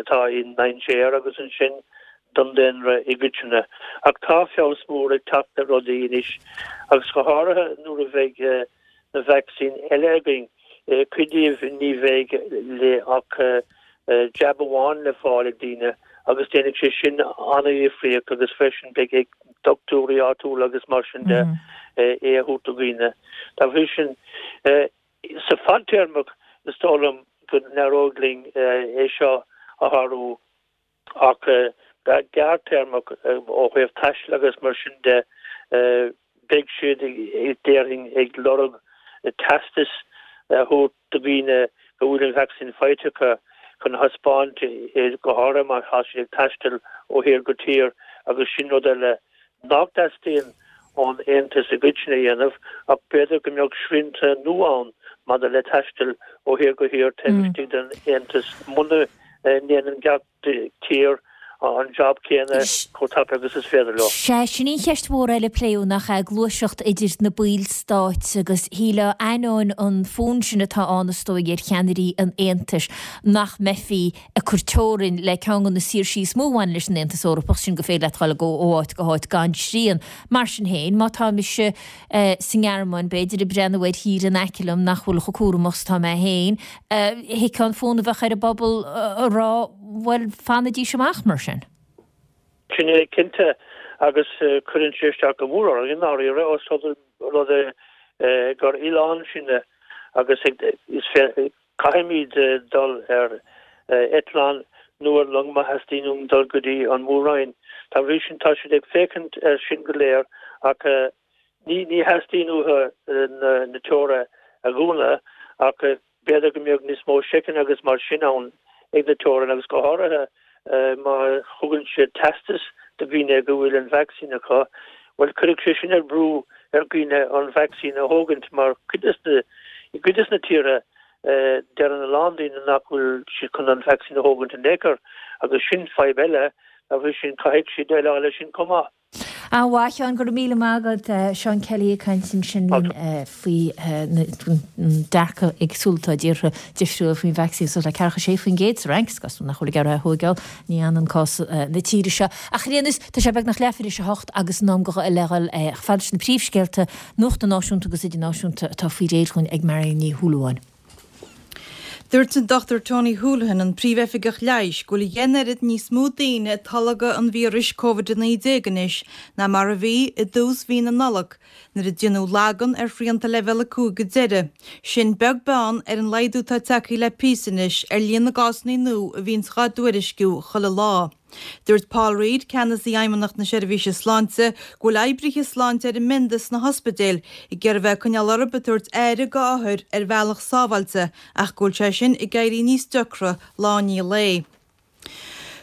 atá i ndainséar agus ansin don daonra i gcoitinne. Ach tá feabhas mór ag teacht ar rudaí anois agus go háirithe nuair a bheidh na vacsaín eile againn, cuid díobh ní bheidh le ach jab amháin le fáil ag daoine agus déanfaidh sé sin an-dhifríocht agus freisin beidh ag dochtúirí áitiúla agus mar sin de é a thabhairt do dhaoine. Dá bhrí sin, sa fadtéarmach is dóigh liom go n-éireoidh linn é seo a shárú ach go gearrthéarmach ó thaobh taistil agus mar sin de beidh siad déarfainn ag lorg teastas a thabhairt do dhaoine go bhfuil an vacsaín faighte acu chun a thaispeáint go háirithe má tá siad ag taisteal ó thír go tír agus sin rud eile nach dteastaíonn ón Aontas i gcoitinne a dhéanamh ach b'fhéidir go mbeadh srianta nua ann maidir le taisteal ó thír go thír taobh istigh den Aontas muna ndéanann gach tír an jab céanna chomh tapa agus is féidir leo. Sea, sin í an cheist mhór eile a pléadh, nach ea, gluaiseacht idir na ballstáit agus shílfeá, ainneoin an fonn sin atá ann is dóigh ar cheannairí an Aontais, nach mbeifí ag cur teorainn le ceann de na saoirsí is mó a bhaineann leis an Aontas Eorpach, sin gur féidir leat dul ó áit go háit gan srian. Mar sin féin, má tá mise sa nGearmáin, b'fhéidir, ag breathnú ar thír in aice liom nach bhfuil chomh cúramach is atá mé féin, thuigfeá an fonn a bheadh ar an bpobal a rá, bhuel, fanaidís amach mar sin. Sin é cinnte, agus cuireann sé isteach go mór orainn i ndáiríre, os rud é gur oileán sinne agus is caithfimid dul ar eitleán nó ar long má theastaíonn uainn dul go dtí an Mhór-Roinn. Dá bhrí sin tá siad ag féachaint air sin go léir ach ní ní theastaíonn uathu na teorainneacha a dhúnadh ach b'fhéidir go mbeadh níos mó seiceanna agus mar sin ann ag na teorainn agus go háirithe má thugann siad teastas do dhaoine go bhfuil an vacsaín acu, bhuel cuirfidh sé sin ar brú ar dhaoine an vacsaín a thógaint mar cuid des na, i gcuid des na tíortha deireann a lán daoine nach bhfuil siad chun an vacsaín a thógaint in aon chor agus sin fadhb eile, dá bhrí sin caithfidh siad déileáil leis sin chomh maith. An-mhaith, a Sheáin, go raibh míle maith agat. Seán Kelly ag caint ansin linn faoi na dearcadh éagsúil atá i dtíortha difriúla faoin vacsaín. Suas le ceathracha sé faoin gcéad sa Fhrainc, is cosúil nach bhfuil ag iarraidh é a thóigeáil, ní hionann cás na tíre seo. Ach ar aon nós, tá sé beagnach leathuair tar éis a hocht agus in am le dhul chomh fada leis na príomhscéalta nuachta náisiúnta agus idirnáisiúnta atá faoi réir dhúinn ag Marion Ní Shúilleabháin. Dúirt an Dochtúir Tony Holohan, an Príomhoifigeach Leighis, go bhfuil a dheich n-oiread níos mó daoine ag tolgadh an víris Covid a naoi déag anois ná mar a bhí i dtús mhí na Nollag, nuair a déanadh lagan ar shrianta Leibhéal a cúig go deireadh. Sin beag beann ar an laghdú atá tagtha le píosa anois ar líon na gcásanna nua a bhíonns dhá dtuairisciú chuile lá. Dúirt Paul Reid, Ceannasaí Fheidhmeannacht na Seirbhíse Sláinte, go bhfuil oibrithe sláinte ar a mbionda sna hospidéil ag iarraidh bheith ag coinneáil orthu ag tabhairt aire go othair ar bhealach sábháilte ach go bhfuil sé sin ag éirí níos deacra lá i ndiaidh lae.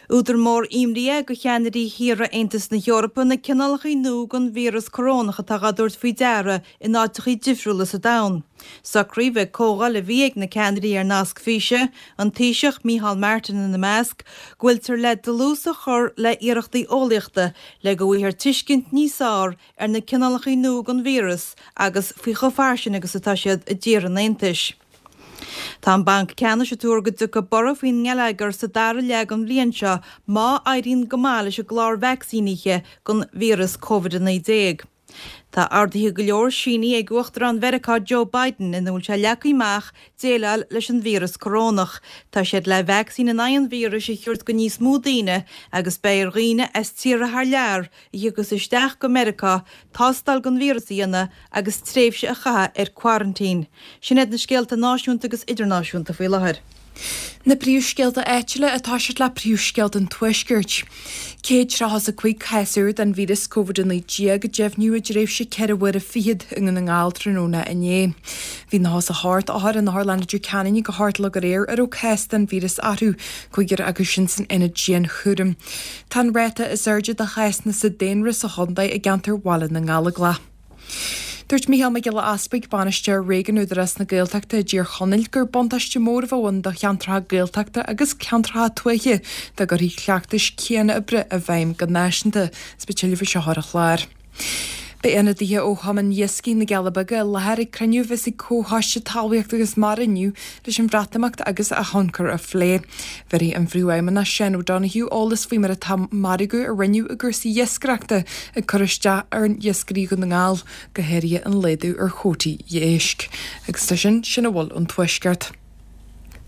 Údar mór imní é go cheannairí thíortha Aontas na hEorpa na cineálacha nua den víreas corónach atá á dtabhairt faoi deara in áiteacha difriúla sa domhan. Socraíodh ag comhdháil a bhí ag na ceannairí ar nasc físe, an Taoiseach Micheál Martin ina measc, go bhfuiltear le dlús a chur le hiarrachtaí eolaíochta le go bhfaighfear tuiscint níos fearr ar na cineálacha nua den víreas agus faoi chomh fairsing agus atá siad i dtíortha an Aontais. Tá an Banc Ceannais ag tuar go dtiocfaidh borradh faoin ngeilleagar sa dara leath den bhliain seo má éiríonn go maith leis an gclár vacsaínithe don víreas Covid a naoi déag. Tá orduithe go leor sínithe ag Uachtarán Mheiriceá Joe Biden ina bhfuil sé leagtha amach déileáil leis an víreas corónach. Tá siad le vacsaín in aghaidh an víris a thabhairt go níos mó daoine agus beidh ar dhaoine as tíortha thar lear a thiocfas isteach go Meiriceá tástáil don víreas a dhéanamh agus tréimhse a chaitheamh ar quarantine. Sin iad na scéalta náisiúnta agus idirnáisiúnta faoi láthair. Na príomhscéalta áitiúla atá siad le príomhscéalta an Tuaiscirt. Céad tríocha is a cúig cás úr den víreas Covid a naoi déag a deimhníodh i dtréimhse ceithre huaire fichead i nDún na nGall tráthnóna inné. Bhí nócha is a hocht othar in Otharlann Leitir Ceanainn go hArdlog aréir a raibh cás den víreas orthu, cúigear acu sin san ionad dianchúraim. Tá an ráta is airde de chásanna sa daonra sa chontae i gceantar Bhaile na nGallóglach. Dúirt Mícheál Mac Giolla Easpaig, Bainisteoir Réigiúin Údarás na Gaeltachta i dTír Chonaill, gur buntáiste mór a bheadh ann do cheantracha Gaeltachta agus ceantracha tuaithe dá gcuirfí cleachtais chéanna oibre i bhfeidhm go náisiúnta. Is beidh tuilleadh faoi seo ar an chlár. Beidh ionadaithe ó Chumann Iascaigh na gCealla Beaga i láthair ag cruinniú a bheas ag Comhchoiste Talmhaíochta agus Mara inniu leis an Bhreatimeacht agus a thionchar a phlé. Bhéarfaidh an Phríomhfheidhmeannach Seán O'Donoghue eolas faoi mar atá margadh a rinneadh i gcúrsaí iascaireachta ag cur isteach ar iascairí Dhún na nGall, go háirithe an laghdú ar chuótaí éisc. Agus leis sin, sin a bhfuil ón Tuaisceart.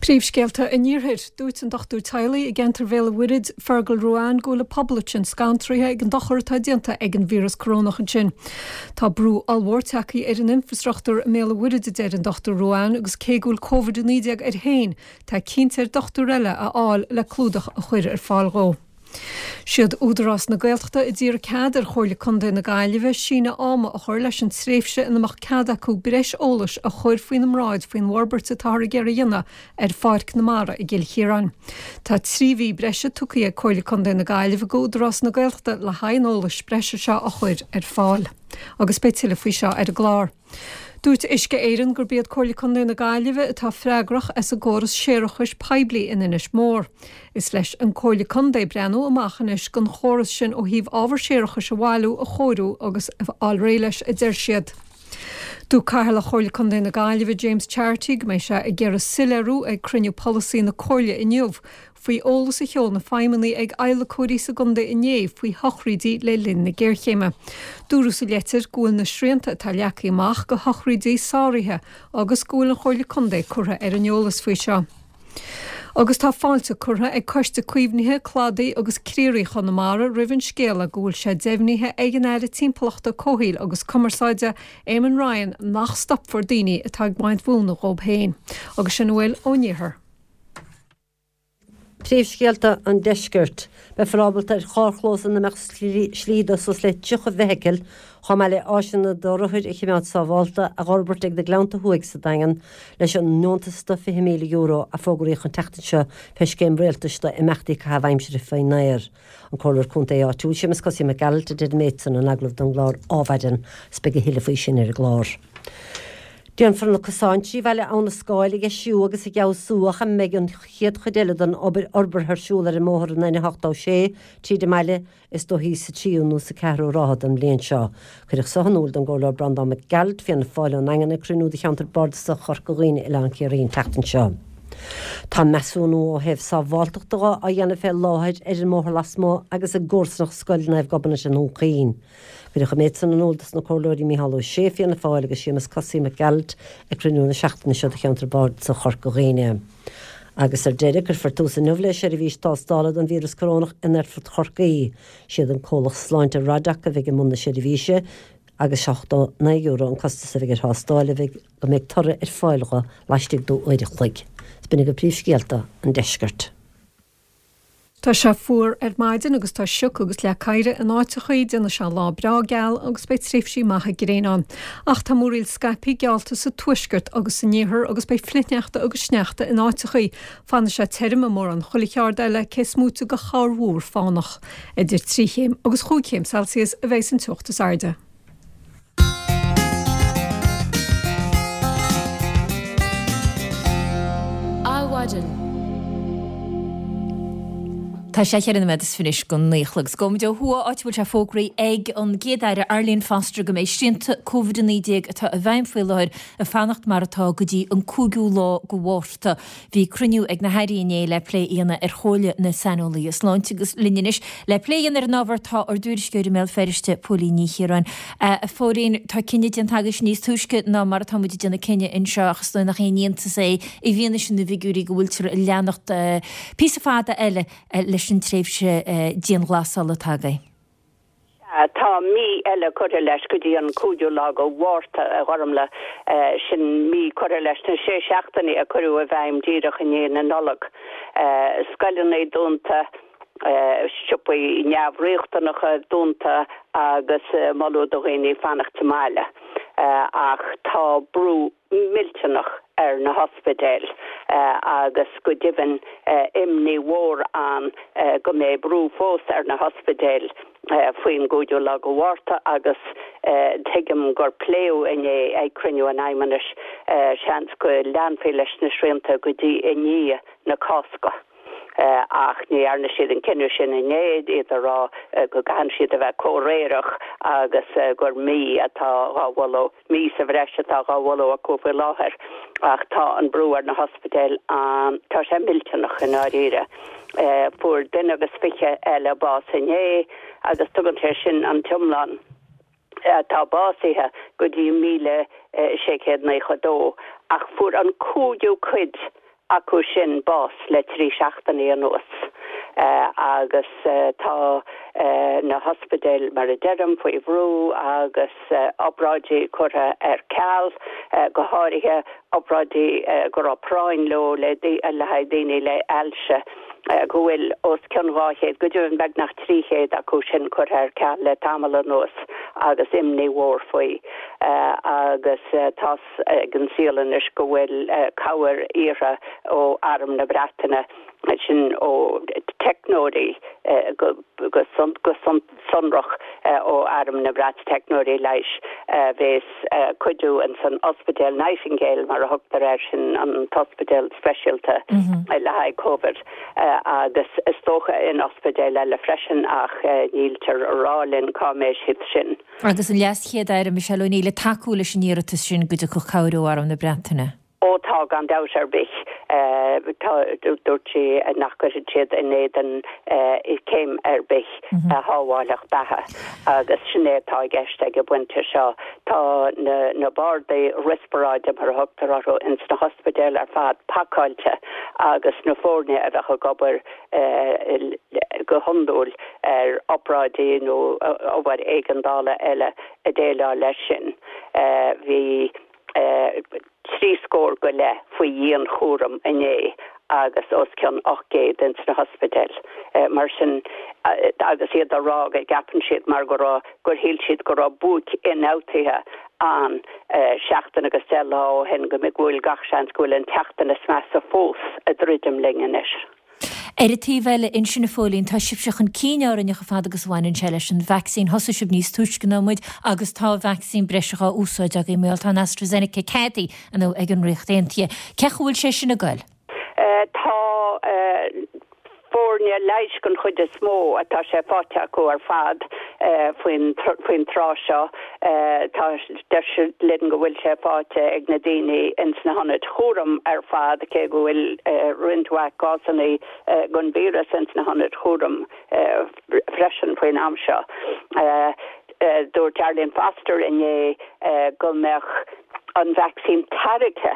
Príomhscéalta an Iarthair. Dúirt an dochtúir teaghlaigh i gceantar Bhéal an Mhuirthead, Fergal Ruane, go bhfuil an pobal ansin scantraithe ag an dochar atá déanta ag an víreas corónach ansin. Tá brú ollmhór tagtha ar an infreastruchtúr i mBéal an Mhuirthead, a deir an Dochtúir Ruane, agus cé go bhfuil Covid a naoi déag air féin, tá cinnte air dochtúir eile a fháil le clúdach a chur ar fáil dhó. Siad Údarás na Gaeltachta a d'iarr cead ar Chomhairle Contae na Gaillimhe síneadh ama a chur leis an tréimhse ina mbeadh cead acu breis eolais a chur faoina mbráid faoin bhforbairt atáthar ag iarraidh a dhéanamh ar Pháirc na Mara i gCill Chiaráin. Tá trí mhí breise tugtha ag Comhairle Contae na Gaillimhe go Údarás na Gaeltachta le haghaidh an eolais breise seo a chur ar fáil. Agus beidh tuilleadh faoi seo ar an gclár. Dúirt Uisce Éireann gurb iad Comhairle Contae na Gaillimhe atá freagrach as an gcóras séarachais poiblí in Inis Mór. Is leis an Comhairle Contae breathnú amach anois don chóras sin ó thaobh ábhar séarachais a bhailiú, a chóiriú agus a fháil réidh leis, a deir siad. Dúirt Cathaoirleach Chomhairle Contae na Gaillimhe James Charity go mbeidh sé ag iarraidh soiléiriú ag cruinniú polasaí na Comhairle inniu faoi eolas a sheol na feidhmeannaigh ag adhlacóirí sa gcontae inné faoi shochraídí le linn na géarchéime. Dúradh sa leitir go bhfuil na srianta atá leagtha amach go shochraídí sáraithe agus go bhfuil an Chomhairle Contae curtha ar an eolas faoi seo. Agus tá fáilte curtha ag Coiste Caomhnaithe Cladaigh agus Criathraigh Chonamara roimh an scéala go bhfuil sé deimhnithe ag an Aire Timpeallachta, Comhshaoil agus Cumarsáide, Eamon Ryan nach stopfar daoine atá ag baint mhóna dhóibh féin. Agus sin a bhfuil ón iarthar. Príomhscéalta an Deiscirt. Beifear ábalta ar charrchlós ina mbeadh slí do suas le tríocha feithicil, chomh maith le áiseanna do rothair a choimeád sábhálta, a dh'fhorbairt ag na Gleannta Thuaidh sa Daingean leis an ndeontas de fiche míle euro a fógraíodh an tseachtain seo fé scéim rialtais do imeachtaí caitheamh aimsire faoin aer. An Comhairleoir Contae áitiúil Séamus Cosaí Mac Gearailt a deir an méid san in agallamh don gclár Ádhmhaidin agus beidh a thuilleadh faoi sin ar an gclár. Déanfar na cosáin trí bhaile Abha na Scáil a dheisiú agus a fheabhsú ach a mbeidh an chéad chuid eile den obair fhorbartha ar siúl ar an mbóthar an N ochtó sé tríd an mbaile is dóichí sa tríú nó sa ceathrú ráithe den bhliain seo. Cuireadh so in iúl don gComhairleoir Breandán Mac Gearailt, Fianna Fáil ón nDaingean ag cruinniú de cheantar bardasach Chorca Dhuibhne Oileán Ciarraí an tseachtain seo. Tá measúnú ó thaobh sábháilteachta de á dhéanamh fé láthair ar an mbóthar lasmuigh agus i gcomharsanacht Scoil Naomh Gobnait i nDún Chaoin. Cuireadh an méid san in iúl dos na Comhairleoirí Mícheál Ó Sé, Fianna Fáil, agus Séamus Cosaí Mac Gearailt ag cruinniú na seachtaine seo de cheantar bardasach Chorca Dhuibhne. Agus ar deireadh, cuirfear tús inniu le seirbhís tástála don víreas corónach in Aerfort Chorcaí. Siad an comhlacht sláinte Radac a bheidh i mbun na seirbhíse agus seachtó naoi euro an costas a bheidh ar thástáil a bheidh go mbeidh toradh ar fáil dho laistigh d'uair a chloig. Is b'in agaibh príomhscéalta an deiscirt. Tá sé fuar ar maidin agus tá sioc agus leac oighir in áiteachaí, déanfaidh sé lá breá geal agus beidh tréimhsí maithe gréine ann. Ach tá múraíl scaipthe geallta sa tuaisceart agus san iarthar agus beidh flichshneachta agus sneachta in áiteachaí. Fanfaidh sé tirim i mórán chuile cheard eile, cé is móite de chorrmhúr fánach. Idir trí chéim agus chúig chéim Celsius a bheidh an teocht is airde. Adhmhaidin. Tá sé cheithre nóiméad is fiche anois go naoi a chlog. Is gabhfaimid ó thuaidh, áit a bhfuil sé fógraithe ag an gCéad-Aire Arlene Foster go mbeidh srianta Covid a naoi déag atá i bhfeidhm faoi láthair ag fanacht mar atá go dtí an cúigiú lá de Mhárta. Bhí cruinniú ag na hairí inné le plé a dhéanamh ar chomhairle na saineolaithe sláinte agus linn anois le plé a dhéanamh ar an ábhar tá ár dtuairisceoir i mBéal Feirste, Póilín Ní Chiaráin. A Phóilín, tá cinneadh déanta agaibhse níos túisce ná mar atá muid ag déanamh cinneadh anseo ach is dóigh nach aon iontas é i bhfianaise na bhfigiúirí go bhfuiltear ag leanacht píosa fada eile leis an tréimhse dianghlasála atá againn. Sea, tá mí eile curtha leis go dtí an cúigiú lá de Mhárta, a Ghormlaith. Sin mí curtha leis na sé seachtainí a cuireadh i bhfeidhm díreach i ndiaidh na Nollag. Scoileanna dúnta, siopaí neamhriachtanacha dúnta agus moladh do dhaoine fanacht sa mbaile. Ach tá brú millteanach ar na hospidéil agus go deimhin imní mhór ann go mbeidh brú fós ar na hospidéil faoin gcúigiú lá de Mhárta agus tuigim gur pléadh inné ag cruinniú an Fheidhmeannais seans go leanfaí leis na srianta go dtí i ndiaidh na Cásca. Ach ní dhearna siad an cinneadh sin inné, iad ag rá go gcaitheann siad a bheith comhréireach agus gur mí atá dhá mholadh, mí sa bhreis atá dhá mholadh acu faoi láthair. Ach tá an brú ar na hospidéil an, tá sé millteanach i ndáiríre. Fuair duine agus fiche eile bás inné agus tugann sé sin an t-iomlán. atá básaithe go dtí míle sé chéad naocha dó, ach fuair an cúigiú cuid acu sin bás le trí seachtainí anuas agus tá na hospidéil, mar a deirim, faoi bhrú agus obráidí curtha ar ceal, go háirithe obráidí go raibh práinn leo le haghaidh daoine le hailse. go bhfuil os cionn dhá chéad, go deimhin beagnach trí chéad acu sin curtha ar ceal le tamall anuas agus imní mhór faoi. Agus tá's ag an saol anois go bhfuil cabhair iarrtha ó Arm na Breataine, sin ó teicneoirí go sonrach ó Arm na Breataine, teicneoirí leighis a bhéas ag cuidiú ins an Ospidéal Nightingale, mar a thugtar air, sin an t-ospidéal speisialta le haghaidh Covid, agus is dócha in ospidéil eile freisin ach níltear a rá linn cá mbeidh siad sin. Agus an LeasChéad-Aire Michelle O'Neill ag tacú leis an iarratas sin go dtiocfadh cabhair ó Arm na Breataine? Ó tá, gan dabht ar bith. Tá, dúirt sí nach gcuirfidh siad in éadan céim ar bith a shábhálfadh beatha agus sin é atá i gceist ag an bpointe seo. Tá na na bardaí riospráide, mar a thugtar orthu, ins na hospidéil ar fad pacáilte agus na foirne a bheadh ag obair go hiondúil ar obráidí nó obair éigeandála eile ag déileáil leis sin. Bhí. trí scór go leith faoi dhianchúram inné agus os cionn ocht gcéad ins na hospidéil. Mar sin, agus iad á rá go gceapann siad mar go raibh, gur shíl siad go raibh buaic ionfhabhtaithe ann seachtain agus deich lá ó shin, go bhfuil gach seans go bhfuil an tseachtain is measa fós ag druidim linn anois. Ar an taobh eile ansin, a Phóilín, tá sibhse chun cinn orainne chomh fada agus a bhaineann sé leis an vacsaín. Thosaigh sibh níos túisce ná muid agus tá vacsaín breise á úsáid agaibh mar tá an AstraZeneca ceadaithe inniu ag an Ríocht Aontaithe. Cén chaoi a bhfuil sé sin ag goil? Tá foirne leighis den chuid is mó atá sé faighte acu ar fad faoin faoin tráth seo. Tá deir siad linn go bhfuil sé faighte ag na daoine ins na hionaid chúraim ar fad, cé go bhfuil roinnt mhaith cásanna den víreas ins na hionaid chúraim freisin faoin am seo. Dúirt Arlene Foster inné go mbeadh an vacsaín tairgthe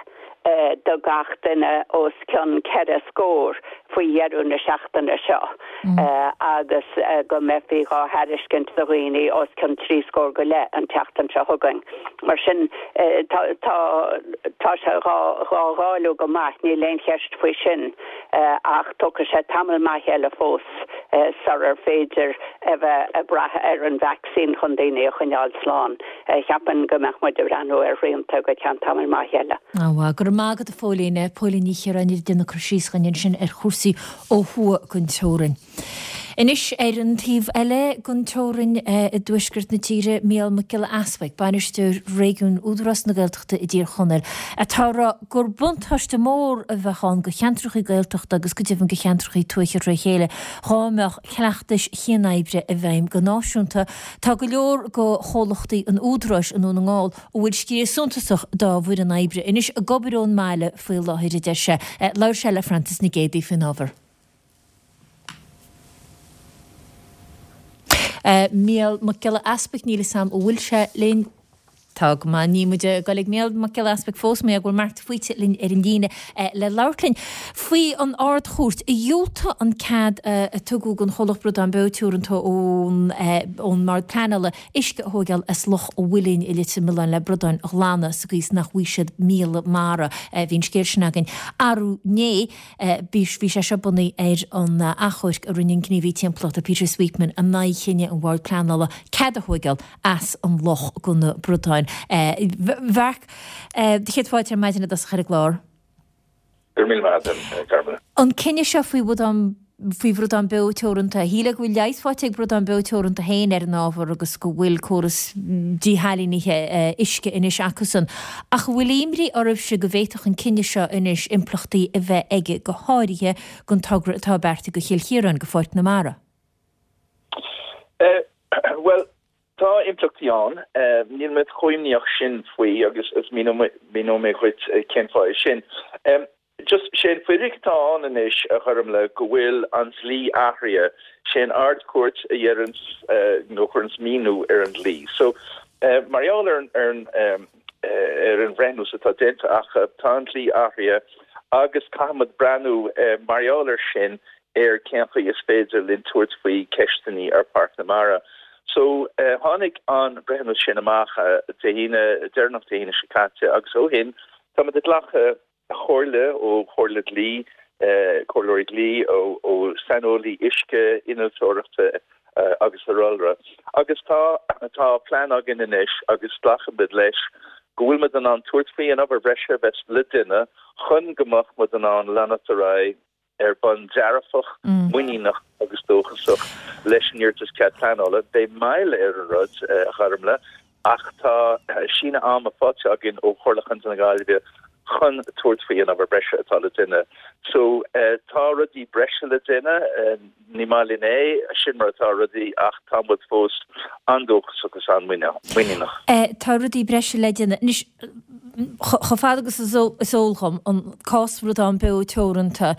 do gach duine os cionn ceithre scór faoi dheireadh na seachtaine seo. agus go mbeifí dhá thairiscint do dhaoine os cionn trí scór go leith an tseachtain seo chugainn. Mar sin tá tá tá sé dhá dhá dháileadh go maith, níl aon cheist faoi sin, ach tógfaidh sé tamall maith eile fós sular féidir a bheith ag brath ar an vacsaín chun daoine a choinneáil slán. Cheapfainn go mbeadh muid ag breathnú ar shrianta go ceann tamall maith eile. Á, go raibh maith agat a Phóilín. Póilín Ní Chiaráin ag déanamh cur síos dhúinn ansin ar chúrsaí ó thuaidh den teorainn. Anois ar an taobh eile den teorainn i dtuaisceart na tíre, Mícheál Mac Giolla Easbuig, Bainisteoir Réigiúin Údarás na Gaeltachta i dTír Chonaill, atá ag rá gur buntáiste mór a bheadh ann do cheantrachaí Gaeltachta agus go deimhin do cheantrachaí tuaithe tré chéile dhá mbeadh cleachtais chianoibre i bhfeidhm go náisiúnta. Tá go leor de chomhlachtaí an Údaráis i nDún na nGall a bhfuil sciar suntasach dá bhfoireann oibre anois ag obair ón mbaile faoi láthair, a deir sé. Labhair sé le Frances Nic Géadaigh faoin ábhar. Mícheál Mac Giolla Easbuic, níl 'fhios a'm an bhfuil sé linn. Tá go maith. Níl muid ag dul ag Mícheál Mac Giolla Easbuic fós, mar go bhfuil Mark de Faoite linn ar an líne le labhairt linn faoi an Ard-Chúirt a dhiúltaigh an cead a tugadh don chomhlacht Bradán Beo Teoranta ón ón mBord Pleanála uisce a thóigeáil as Loch an Mhuilinn i Leitir Mealláin le bradáin a ghlanadh sa gcaoi is nach bhfaighidh siad míola mara. Bhí an scéal sin againn arú inné. Bhí sé seo bunaithe ar an achomharc a rinne an gníomhaí timpeallachta Peter Sweetman in aghaidh chinneadh an Bhoird Pleanála cead a thóigeáil as an loch do na bradáin. A Mharc, do chéad fáilte ar maidin i dtosach ar an gclár. Go raibh míle maith agat, a Ghormfhlaith. An cinneadh seo faoi bhradán faoi Bhradán Beo Teoranta. Shílfeá go bhfuil leigheas faighte ag Bradán Beo Teoranta féin ar an ábhar agus go bhfuil córas díshailínithe uisce anois acusan. Ach an bhfuil imní oraibhse go bhféadfadh an cinneadh seo anois impleachtaí a bheith aige, go háirithe don togra atá beartaithe do Chill Chiaráin, do Pháirc na Mara? Bhuel, tá impleachtaí ann. Níl mé chomh imníoch sin faoi agus míneoidh mé dhuit cén fáth é sin. Just, sé an fhíric atá ann anois, a Ghormfhlaith, go bhfuil an dlí athraithe. Sé an Ard-Chúirt a dheireanns, nó a chuireanns míniú ar an dlí. So, mar gheall ar an, ar an, ar an bhreithniús atá déanta acu, tá an dlí athraithe agus caithfimid breathnú, mar gheall air sin, ar cén chaoi is féidir linn tabhairt faoi ceisteannaí ar Pháirc na Mara. So, tháinig an breithiúnas sin amach Dé hAoine, deireanach Dé hAoine seo caite agus ó shin, táimid ag glacadh comhairle ó chomhairle dlí, comhairleoirí dlí, ó saineolaí uisce, innealtóireachta agus araile. Agus tá tá plean againn anois agus glacaimid leis go bhfuil muid in ann tabhairt faoi an obair bhreise a bheas le déanamh chun go mbeadh muid in ann leanacht ar aghaidh ar bhonn dearfach, muiníneach agus dóchasach leis an iarratas cead pleanála. Beidh moill ar an rud, a Ghormfhlaith, ach tá síneadh ama faighte againn ó Chomhairle Chontae na Gaillimhe chun tabhairt faoi an obair breise atá le déanamh. So, tá rudaí breise le déanamh, ní maith linn é, sin mar atá rudaí, ach tá muid fós an-dóchasach agus an-mhuiníneach. Tá rudaí breise le déanamh. Anois, chomh fada agus is eol dhom, an cás Bhradán Beo Teoranta,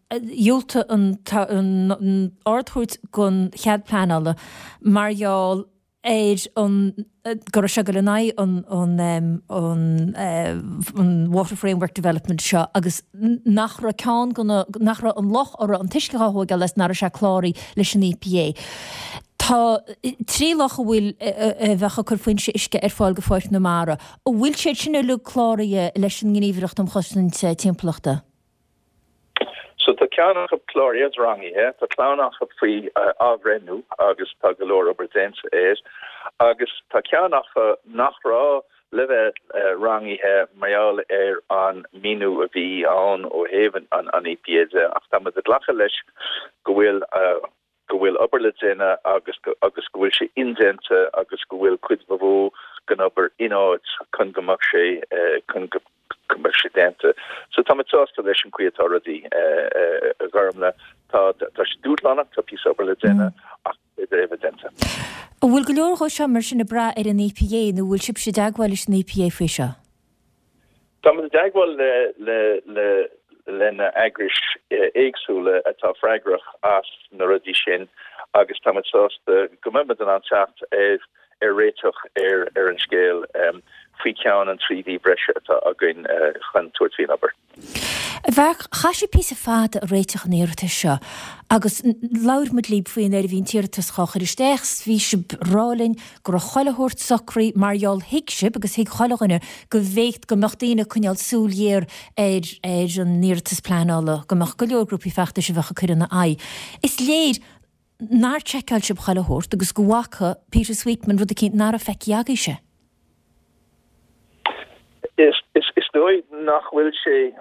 dhiúltaigh an Ard-Chúirt don chead pleanála mar gheall ar an go raibh sé ag dul in aghaidh an an Water Framework Development seo agus nach raibh ceann de na, nach raibh an loch a raibh an t-uisce á thóigeáil as, nach raibh sé cláraithe leis an EPA. Tá trí loch a bhfuil, a bheadh ag cur foinse uisce ar fáil do Pháirc na Mara. An bhfuil siad sin uilig cláraithe leis an nGníomhaireacht um Chosaint Timpeallachta? So tá ceann acu cláraithe is rangaithe, tá ceann acu faoi athbhreithniú agus tá go leor obair déanta air, agus tá ceann acu nach raibh le bheith rangaithe mar gheall ar an míniú a bhí ann ó thaobh an EPA de, ach tá muid ag glacadh leis go bhfuil go bhfuil obair le déanamh agus agus go bhfuil sé indéanta agus go bhfuil cuid ba mhó den obair in áit chun go mbeadh sé chun go go mbeadh sé déanta. So tá muid sásta leis an chaoi atá rudaí, a Ghormfhlaith. Tá tá sé dúshlánach, tá píosa obair le déanamh ach is féidir é a bheith déanta. An bhfuil go leor dhó seo mar sin ag brath ar an EPA nó an bhfuil sibhse i dteagmháil leis an EPA faoi seo? Tá muid i dteagmháil le le le le na eagrais éagsúla atá freagrach as na rudaí sin agus tá muid sásta go mbeidh muid in ann teacht ar ar réiteach ar ar an scéal faoi cheann an trí mhí breise atá againn chun tabhairt faoin obair. A Mharc, chaith sibh píosa fada ag réiteach an iarratais seo agus labhair muid libh faoi nuair a bhí an t-iarratas dhá chur isteach 's bhí sibh ag rá linn go raibh chuile shórt socraithe mar gheall thuig sibh agus thuig chuile dhuine go bhféadfadh go mbeadh daoine ag coinneáil súil ghéar ar ar an iarratas pleanála, go mbeadh go leor grúpaí feachtais a bheadh ag cur ina aghaidh. Is léir nár tseiceáil sibh chuile shórt agus go bhfaca Peter Sweetman rud eicínt nach raibh feicthe agaibhse. Is dóigh nach bhfuil sé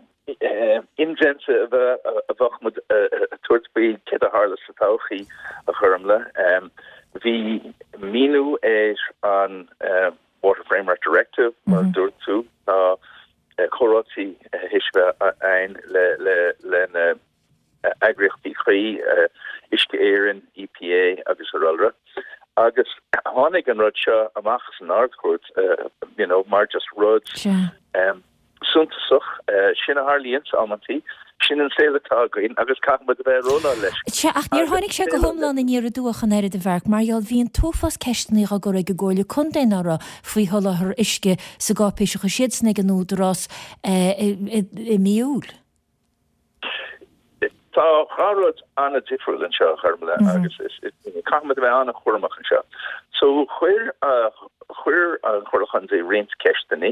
indéanta a bheith a bheadh muid ag tabhairt faoi céard a tharla sa todhchaí, a Ghormlaith. Bhí míniú ar an Water Framework Directive, mar a dúirt tú, tá comhráití théis bheith againn le le le na eagraíochtaí cuí, Uisce Éireann, EPA agus araile. Agus tháinig an rud seo amach san Ard-Chúirt, you know, mar just rud suntasach. Sin a tharlaíonns amantaí. Sin an saol atá againn agus caithfidh muid a bheith ag rolláil leis. Sea, ach níor tháinig sé go hiomlán aniar aduaidh ach an oiread, a Mharc, mar gheall bhí an t-uafás ceisteanna á gcur ag an gComhairle Contae ná raibh faoi sholáthar uisce sa gcáipéis a chuir siadsan ag an Údarás i mí Iúil. Tá dhá rud an-difriúil anseo, a Ghormlaith, agus caithfidh muid a bheith an-chúramach anseo. So chuir chuir an Chomhairle Chontae roinnt ceisteanna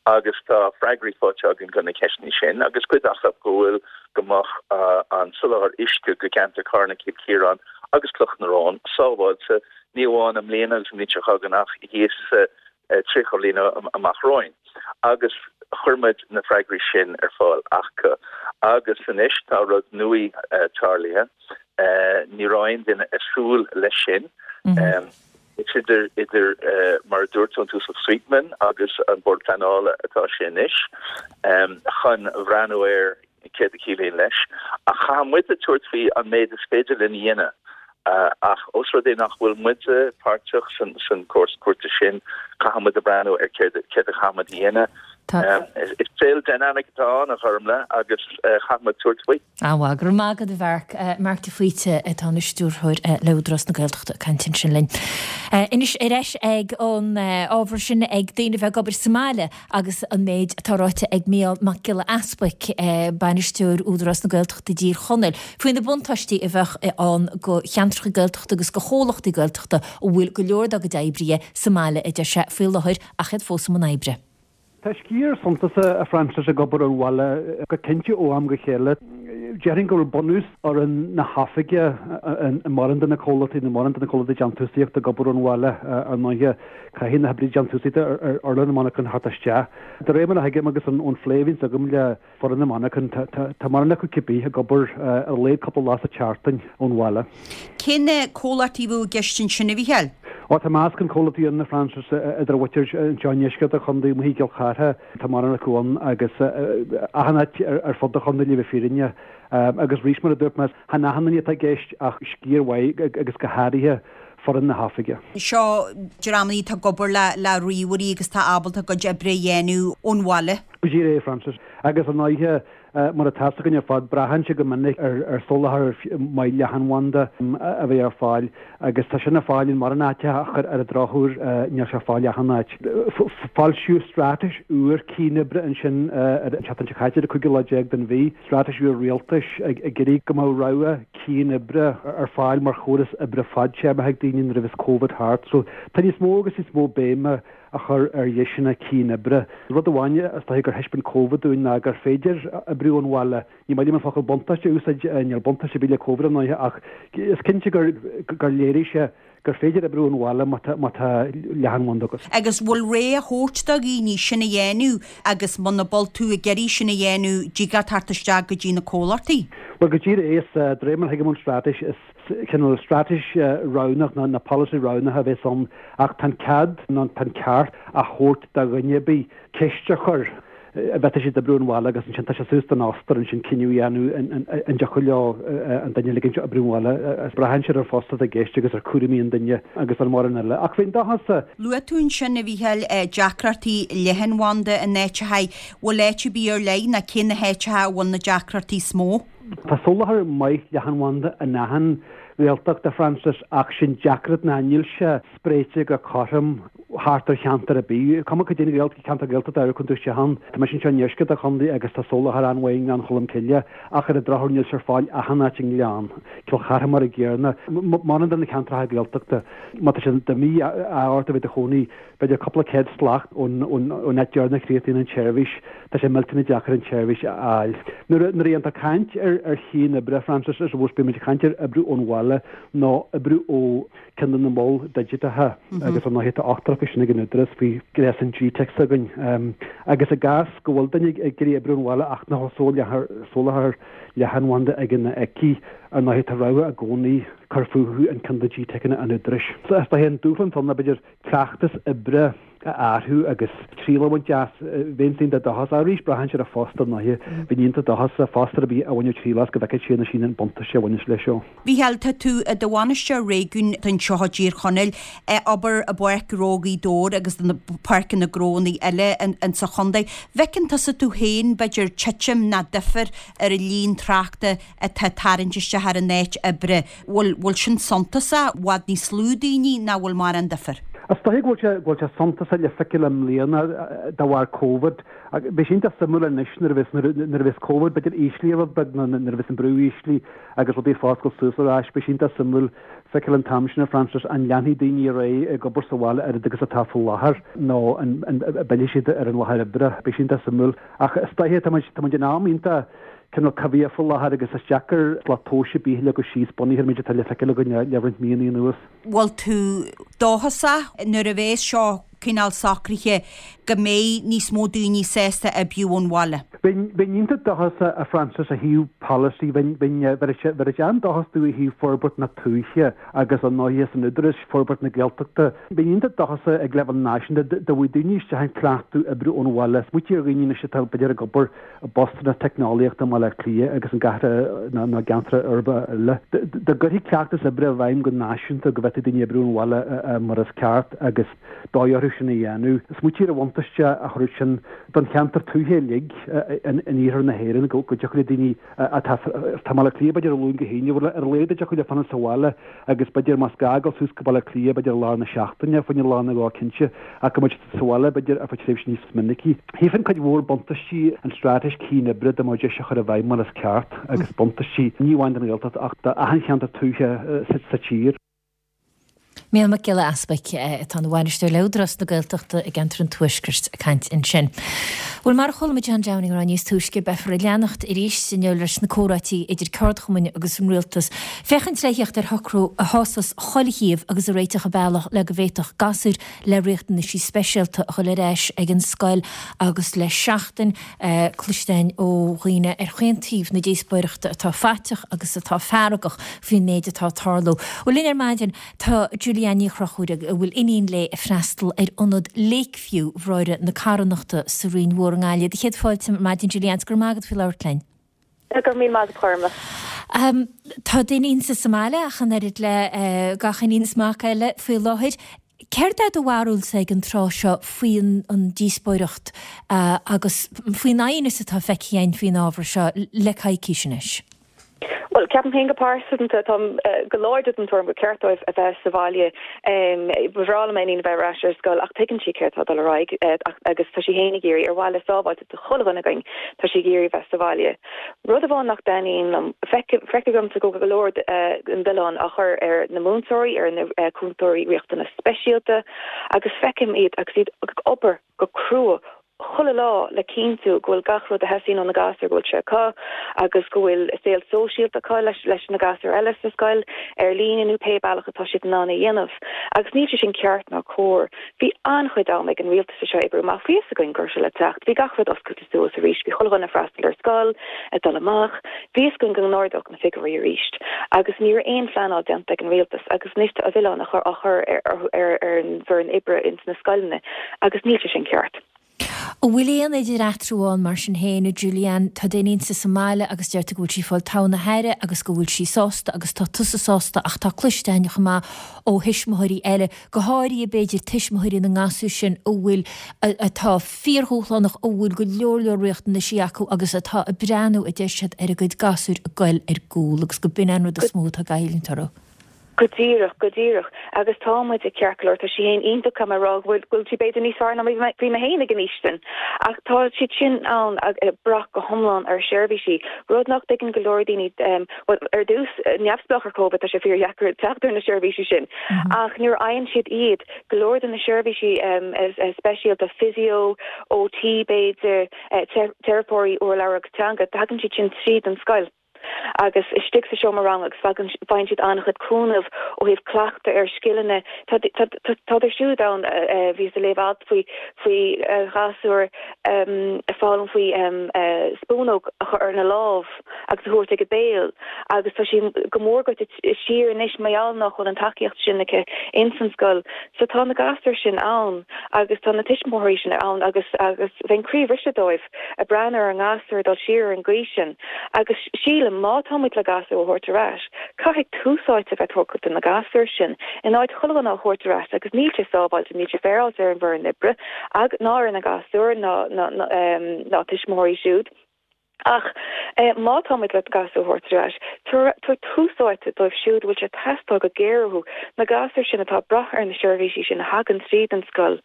agus tá freagraí faighte againn do na ceisteanna sin agus cuid acu go bhfuil go mbeadh an soláthar uisce go ceantar Carna, Cill Chiaráin agus Cloch na Rón sábháilte ní amháin i mbliana agus an bhliain seo chugainn ach thíos tríocha bliain amach romhainn agus chuir muid na freagraí sin ar fáil acu. Agus anois tá rud nua tarlaithe, ní raibh aon duine ag súil leis sin. Is idir, idir mar a dúirt tú, an tUasal Sweetman agus an Bord Pleanála atá sé anois chun bhreathnú ar céard a chiallaíonn leis. Ach caithfidh muide tabhairt faoi an méid is féidir linn a dhéanamh. Ach ós rud é nach bhfuil muide páirteach san cás cúirte sin, caithfidh muid a breathnú ar céard a chaithfidh muid a dhéanamh. Is saol dynamic atá ann, a Ghormlaith, agus caithfidh muid tabhairt faoi. An-mhaith. Go raibh maith agat, a Mharc. Marc de Faoite atá ina stiúrthóir le Údarás na Gaeltachta ag caint ansin linn. Anois ar ais ag an ábhar sin ag daoine a bheith ag obair sa mbaile agus an méid atá ráite ag Mícheál Mac Giolla Easbuic, Bainisteoir Údarás na Gaeltachta i dTír Chonaill, faoi na buntáistí a bheadh ann go cheantracha Gaeltachta agus go chomhlachtaí Gaeltachta a bhfuil go leor dá gcuid oibrithe sa mbaile, a deir sé, faoi láthair ach iad fós i mbun oibre. Tá sciar suntasach, a Frances, ag obair ón bhaile go cinnte ó am go chéile. Déarfainn go bhfuil bunús fhoireann na hoifige i mórán de na comhlachtaí, nó mórán de na comhlachtaí déantúsaíochta ag obair ón bhaile ar ndóighe. Caithfidh na hoibrithe déantúsaíochta ar urlár na monarchan theacht isteach. De réir mar a thuigim agus ón phlé a bhíonns agam le foireann na monarchan, tá mórán acu cibé ag obair ar a laghad cúpla lá sa tseachtain ón bhaile. Cé na comhlachtaí a bheadh i gceist ansin, a Mhícheáil? Ó, tá meascán comhlachtaí ann, a Frances, idir mhuintir anseo i ndeisceart an chontae, amuigh i gCill Chartha, tá mórán acu ann agus achan áit ar fud an chontae le bheith fírinneach. Agus arís, mar a dúirt mé, chan achan duine atá i gceist ach sciar mhaith agus go háirithe foireann na hoifige. Seo dreamanna atá ag obair le ríomhairí agus atá ábalta a gcuid oibre a dhéanamh ón bhaile. Go díreach é, Frances. Agus ar ndóighe, mar atá fhios againn ar fad, braitheann sé go minic ar soláthar maith leathanbhanda a bheith ar fáil agus tá sin ar fáil in mórán áiteacha ach ar an drochuair níl sé ar fáil achan áit. Foilsíodh straitéis úr cianoibre ansin ar an tseachtain seo caite, ar an cúigiú lá déag den mhí, straitéis úr rialtais ag iarraidh go mbeadh rogha cianoibre ar fáil mar chóras oibre fadtéarmach ag daoine nuair a bheas Covid thart. So tá níos mó agus níos mó béime á chur ar dheiseanna cianoibre. Rud amháin is dóiche gur thaispeáin Covid dúinn ná gur féidir oibriú ón bhaile. Ní maith liom an focal buntáiste a úsáid, níl buntáiste ar bith le Covid ar ndóighe, ach is cinnte gur gur léirigh sé gur féidir oibriú ón bhaile má tá má tá leathanbhanda agat. Agus bhfuil rogha á thabhairt do dhaoine sin a dhéanamh agus muna bhfuil tú ag iarraidh sin a dhéanamh, dtig leat teacht isteach go dtí na comhlachtaí? Bhuel, go díreach é, is de réir mar a thuigim ón straitéis, is cineál straitéis roghnach nó polasaí roghnach a bheas ann ach tá an cead nó tá an ceart á thabhairt do dhuine ar bith ceist a chur an bhféadfadh siad oibriú ón bhaile agus ansin tá sé suas don fhostóir ansin cinneadh a dhéanamh an dtiocfadh leo an duine a ligint oibriú ón bhaile. Braitheann sé ar an phost atá i gceist agus ar chúraimí an duine agus ar mórán eile. Ach bheinn dóchasach. Luaigh tú ansin, a Mhícheáil, deacrachtaí leathanbhanda in áiteacha. Bhfuil áit ar bith ar leith nó cé na háiteacha a bhfuil na deacrachtaí is mó? Tá soláthar maith leathanbhanda in achan Ghaeltacht, a Frances, ach sé'n deacracht ná níl sé spréite go cothrom thart ar cheantar ar bith, cuma cad é an ceantar Gaeltachta ar a gcuireann tú isteach ann. Tá mise anseo i ndeisceart an chontae agus tá soláthar an-mhaith i nGleann Cholm Cille ach ar an drochuair níl sé ar fáil achan áit i nGleann. Cill Chartha mar an gcéanna. Maidir de na ceantracha Gaeltachta, má tá sé de mhí-ádh ort a bheith i do chónaí b'fhéidir cúpla céad slat ón áit deireanach a chríochnaíonn an tseirbhís, tá sé millteanach deacair an tseirbhís a fháil. Nuair a dhéantar caint ar chianoibre, Frances, I suppose bíonn muid ag caint ar oibriú ón bhaile nó oibriú ó ceann de na moil digiteacha agus ar ndóigh tá ochtar acu sin ag an Údarás faoi ghréasán G-Teic s'againn. Agus i gcás go bhfuil duine ag iarraidh oibriú ón bhaile ach nach bhfuil soláthar leathanbhanda aige nó aici, ar ndóigh tá rogha i gcónaí cur fúthu in ceann de G-Teiceanna an Údaráis. Is dóiche an dúshlán atá ann ná b'fhéidir cleachtas oibre a athrú agus triail a bhaint as. Bheinn iontach dóchasach arís, braitheann sé ar an phost ar ndóigh. Bheinn iontach dóchasach fostóir ar bith a bhainfeadh triail as go bhfeicfeadh sé nó sí an buntáiste a bhaineas leis seo. Mhícheáil, tá tú i do bhainisteoir réigiúin anseo i dTír Chonaill, ag obair i bPáirc Ghnó Ghaoth Dobhair agus na páirceanna gnónna eile insa chontae. Bhfeiceann tusa tú féin, b'fhéidir, titim ná difear ar an líon tráchta atá ag tarraingt isteach ar an áit oibre? Bhfuil, bhfuil sin suntasach, i bhfad níos lú daoine ná bhfuil mórán difear? Is dóiche go bhfuil sé, go bhfuil sé suntasach le feiceáil i mbliana de bharr Covid. Beidh sé iontach suimiúil anois nuair a bheas, nuair a bheas Covid b'fhéidir íslithe rud beag nó nuair a bheas an brú íslithe agus rudaí ag foscailt suas ar ais, beidh sé iontach suimiúil feiceáil an t-am sin, a Frances, an leanfaidh daoine ar aghaidh ag obair sa bhaile oiread agus atá faoi láthair nó an bhfillfidh siad ar an láthair oibre. Beidh sé iontach suimiúil. Ach is dóiche, tá muid, tá muid in am iontach cineál coimhthíoch faoi láthair agus is deacair slat tomhais ar bith a leagadh síos bunaithe ar an méid atá le feiceáil againn le roinnt míonna anuas. Bhfuil tú dóchasach nuair a bheas seo cineál socraithe go mbeidh níos mó daoine sásta oibriú ón bhaile? Bheinn iontach dóchasach, a Frances, ó thaobh polasaí, bheinn bheinn an-dóchasach ó thaobh forbairt na tuaithe agus ar ndóighe san Údarás, forbairt na Gaeltachta. Bheinn iontach dóchasach ag leibhéal náisiúnta dá bhfaigheadh daoine isteach an cleachtadh oibriú ón bhaile. Smaoitigh ar dhaoine anois atá b'fhéidir ag obair i bpostanna teicneolaíochta i mBaile Átha Cliath agus i gcathracha nó i gceantracha uirbeacha eile. Dá gcuirfí cleachtas oibre i bhfeidhm go náisiúnta go bhféadfadh daoine oibriú ón bhaile mar is ceart agus dóigh orthu sin a dhéanamh. Smaoitigh ar an bhuntáiste a thabharfadh sin don cheantar tuaithe uilig in iarthar na hÉireann, go dtiocfadh le daoine atá i mBaile Átha Cliath b'fhéidir ó Luan go hAoine, bhuel ar a laghad a dtiocfadh leo fanacht sa bhaile agus b'fhéidir más gá dul suas go Baile Átha Cliath b'fhéidir i lár na seachtaine, fá choinne lá nó dhó cinnte, ach go mbeadh siad sa bhaile b'fhéidir ar feadh tréimhse níos minicí. Tchífinn cuid mhór buntáistí an straitéis cianoibre dá mbeadh deis a chur i bhfeidhm mar is ceart agus buntáistí ní amháin don Ghaeltacht ach d'achan cheantar tuaithe sa tír. Mícheál Mac Giolla Easbuic, atá ina bhainisteoir le Údarás na Gaeltachta i gceantar an Tuaiscirt, ag caint ansin. Bhuel, mar a chuala muid John Downing a rá níos túisce, beifear ag leanacht arís inniu leis na comhráití idir ceardchumainn agus an rialtas, féachaint le theacht ar shocrú a shásós chuile thaobh agus a réiteodh an bealach le go bhféadfadh gasúir le riachtanaisí speisialta a dhul ar ais ag an scoil agus le seachtain cloiste againn ó dhaoine ar chaon taobh na díospóireachta atá faiteach agus atá feargach faoin méid atá ag tarlú. Bhuel, linn ar maidin tá Julianne Ní Chonchúir a bhfuil iníon léi ag freastal ar ionad Lakeview Bhráithre na Carthanachta sa Rinn Mhór i nGaillimh. Do chéad fáilte ar maidin Julianne, 's go raibh maith agat faoi labhairt linn. Go raibh míle maith agat a Ghormfhlaith. Tá d'iníon sa mbaile ach an oiread le gach iníon is mac eile faoi láthair. Céard é do bharúilsa ag an tráth seo faoi an díospóireacht agus faoin aighneas atá feicthe againn faoin ábhar seo le coicís anois? Bhuel, ceapaim féin go pearsanta, táim go láidir den tuairim gur ceart dóibh a bheith sa bhaile. Ba bhreá le m'iníon a bheith ar ais ar scoil ach tuigeann sí céard atá ag dul ar aghaidh agus tá sí féin ag iarraidh, ar mhaithe le sábháilteacht do chuile dhuine againn, tá sí ag iarraidh bheith sa bhaile. Rud amháin nach dtaitníonn liom, feictear domsa go bhfuil go leor den mhilleán á chur ar na múinteoirí, ar na cúntóirí riachtanas speisialta agus feicim iad agus iad ag obair go crua chuile lá le cinntiú go bhfuil gach rud a theastaíonn ó na gasúir go bhfuil sé acu agus go bhfuil saol sóisialta acu leis leis na gasúir eile sa scoil, ar líne nó pé bealach atá siad in ann a dhéanamh. Agus níl sé sin ceart ná cóir. Bhí an-chuid ama ag an rialtas é seo a oibriú amach. Bhí fhios againn go raibh sé le teacht. Bhí gach rud oscailte suas arís. Bhí chuile dhuine ag freastal ar scoil, ag dul amach. Bhí fhios againn go n-ardódh na figiúirí arís. Agus ní raibh aon phleanáil déanta ag an rialtas agus anois tá an milleán á chur ar ar ar an bhfoireann oibre ins na scoileanna agus níl sé sin ceart. An bhfuil aon idir eatarthu ann mar sin féin, a Julianne? Tá d'iníonsa sa mbaile agus deir tú go bhfuil sí ag fáil togha na haire agus go bhfuil sí sásta agus tá tusa sásta ach tá cloiste againn chomh maith ó thuismitheoirí eile, go háirithe b'fhéidir tuismitheoirí na ngasúr sin a bhfuil, atá fíordhúshlánach, a bhfuil go leor leor riachtanaisí acu agus atá ag breathnú, a deir siad, ar a gcuid gasúir ag goil ar gcúl agus go b'in an rud is mó atá ag goilliúint orthu. Go díreach, go díreach. Agus tá muid ag ceart go leor, tá sí féin iontach, caithfidh mé a rá go bhfuil, go bhfuil sí b'fhéidir níos fearr ná mar bhí mé féin ag an aois sin. Ach tá siad sin ann ag brath go hiomlán ar sheirbhísí, rud nach dtuigeann go leor daoine, bhuel, ar dtús, neamhspleách ar Covid, tá sé fíordheacair teacht ar na seirbhísí sin. Ach nuair a fhaigheann siad iad, go leor de na seirbhísí speisialta, physio, OT b'fhéidir, teiripeoirí urlabhra agus teanga, tagann siad sin tríd an scoil. agus istigh sa seomra ranga agus faigheann siad an-chuid cúnamh ó thaobh cleachtadh ar scileanna. Tádar siúd ann, bhíos ag léamh alt faoi faoi ghasúr ag foghlaim faoi spúnóg a chur ar na lámh agus a thabhairt ag a béal agus tá sí go mór goite siar anois mar gheall nach bhfuil an tacaíocht sin aici ins an scoil. So tá na gasúir sin ann agus tá na tuismitheoirí sin ann agus agus bheinn croíbhriste dóibh ag breathnú ar a ngasúir ag dul siar ar an gcaoi sin agus sílim má tá muid le gasúir a thabhairt ar ais, caithfidh tús áite a bheith tugtha do na gasúir sin in áit chuile dhuine a thabhairt ar ais agus níl sé sábháilte, níl sé féaráilte ar an bhfoireann oibre ag ná ar na gasúir ná ná tuismitheoirí siúd. Ach má tá muid le gasúir a thabhairt ar ais, tabhair tús áite dóibh siúd a bhfuil sé ag teastáil go géar uathu, na gasúir sin atá ag brath ar na seirbhísí sin a thagann tríd an scoil.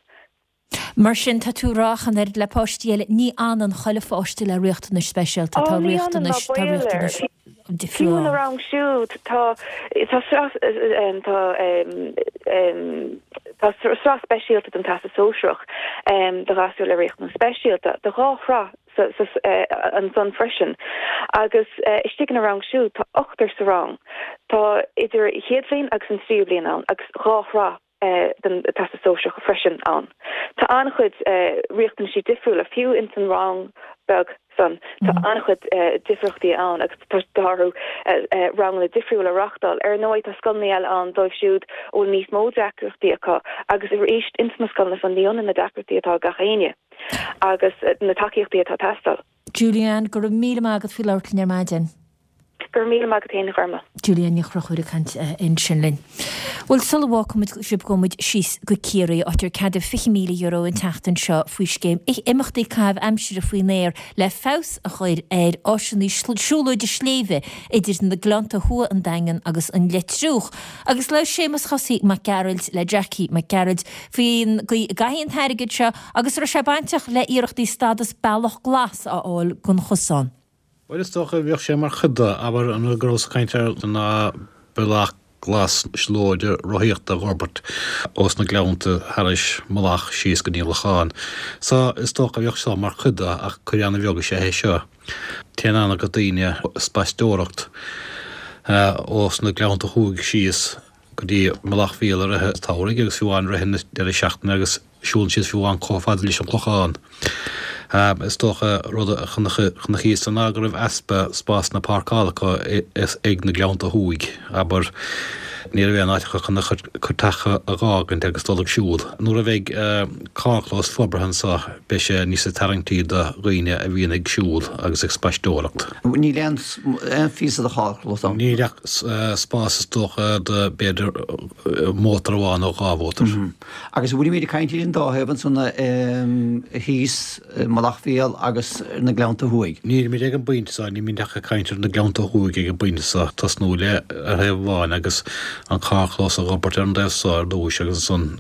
Mar sin, tá tú ag rá ach an oiread le páistí eile, ní fhanann chuile pháiste le riachtanais speisialta, tá riachtanais, tá riachtanais difriúla. Fiú ina rang siúd, tá, tá sraith, tá, tá sraith speisialta don Teastas Sóisearach do ghasúir le riachtanais speisialta, tá dhá shraith ansan freisin. Agus istigh ina rang siúd, tá ochtar sa rang. Tá idir chéad bhliain agus an tríú bliain ann agus dhá shraith. den Teastas Sóisearach freisin ann. Tá an-chuid riachtanaisí difriúla, fiú ins an rang beag san, tá an-chuid difríochtaí ann agus tá orthu ranganna difriúla a reáchtáil. Ar ndóigh, tá scoileanna eile ann dóibh siúd a bhfuil níos mó deacrachtaí acu agus arís ins na scoileanna san ní ionann na deacrachtaí atá ag gach éinne agus na tacaíochtaí atá ag teastáil. Julianne, go raibh míle maith agat faoi labhairt linn ar maidin. Go raibh míle maith agat féin, a Ghorma. Julianne Ní Chonchúir ag caint ansin linn. Bhuel, sula bhfágfaimid sibh gabhfaidh muid síos go Ciarraí, áit ar ceadaíodh fiche míle euro an tseachtain seo faoi scéim imeachtaí caitheamh aimsire faoin aer le feabhas a chur ar áiseanna siúlóide sléibhe idir na Gleannta Thuaidh, an Daingean agus an Leitriúch. Agus labhair Séamus Chosaí Mac Gearailt le Jackie Mac Gearailt faoin gcaoi a gcaithfí an t-airgead seo agus an raibh sé bainteach le iarrachtaí stádas Bealach Glas a fháil don chosán. Bhuel, is dócha, bheadh sé mar chuid de, abair, an rud go rabhas ag caint air ná bealach glas siúlóide rothaíochta a dh'fhorbairt ós na Gleannta thairis Mullach síos go dtí an Lochán. So, is dócha bheadh seo mar chuid de, ach cuid ana-bheag is ea é seo. Téann ana-chuid daoine ag spaisteoireacht ós na Gleannta Thuaidh síos go dtí Mullach Mhíl i rith an tsamhraidh agus fiú amháin i rith an deireadh seachtaine agus siúlann siad fiú amháin chomh fada leis an Chlochán. Is dócha rud a chonacthas ná go raibh easpa spásanna páirceála acu ag na Gleannta Thuaidh, abair. Ní raibh aon áit acu chun a gcuid teach a dh'fhágaint agus dul ag siúl. Nuair a bheidh carrchlós forbartha anseo beidh sé níos tarraingtí do dhaoine a bhíonn ag siúl agus ag spaisteoireacht. Níl aon phíosa de charrchlós ann. Níl ach spás is dócha do b'fhéidir mótar amháin nó dhá mhótar. Agus an bhfuilimid ag caint ar an dá thaobh ansan thíos i Mullach Mhíl agus ar na Gleannta Thuaidh? Nílimid ag an bpointe seo, nílimid ach ag caint ar na Gleannta Thuaidh ag an bpointe seo, tosnú le ar thaobh amháin agus an carrchlós a dh'fhorbairt ar an dtaobh seo ar dtúis agus ansan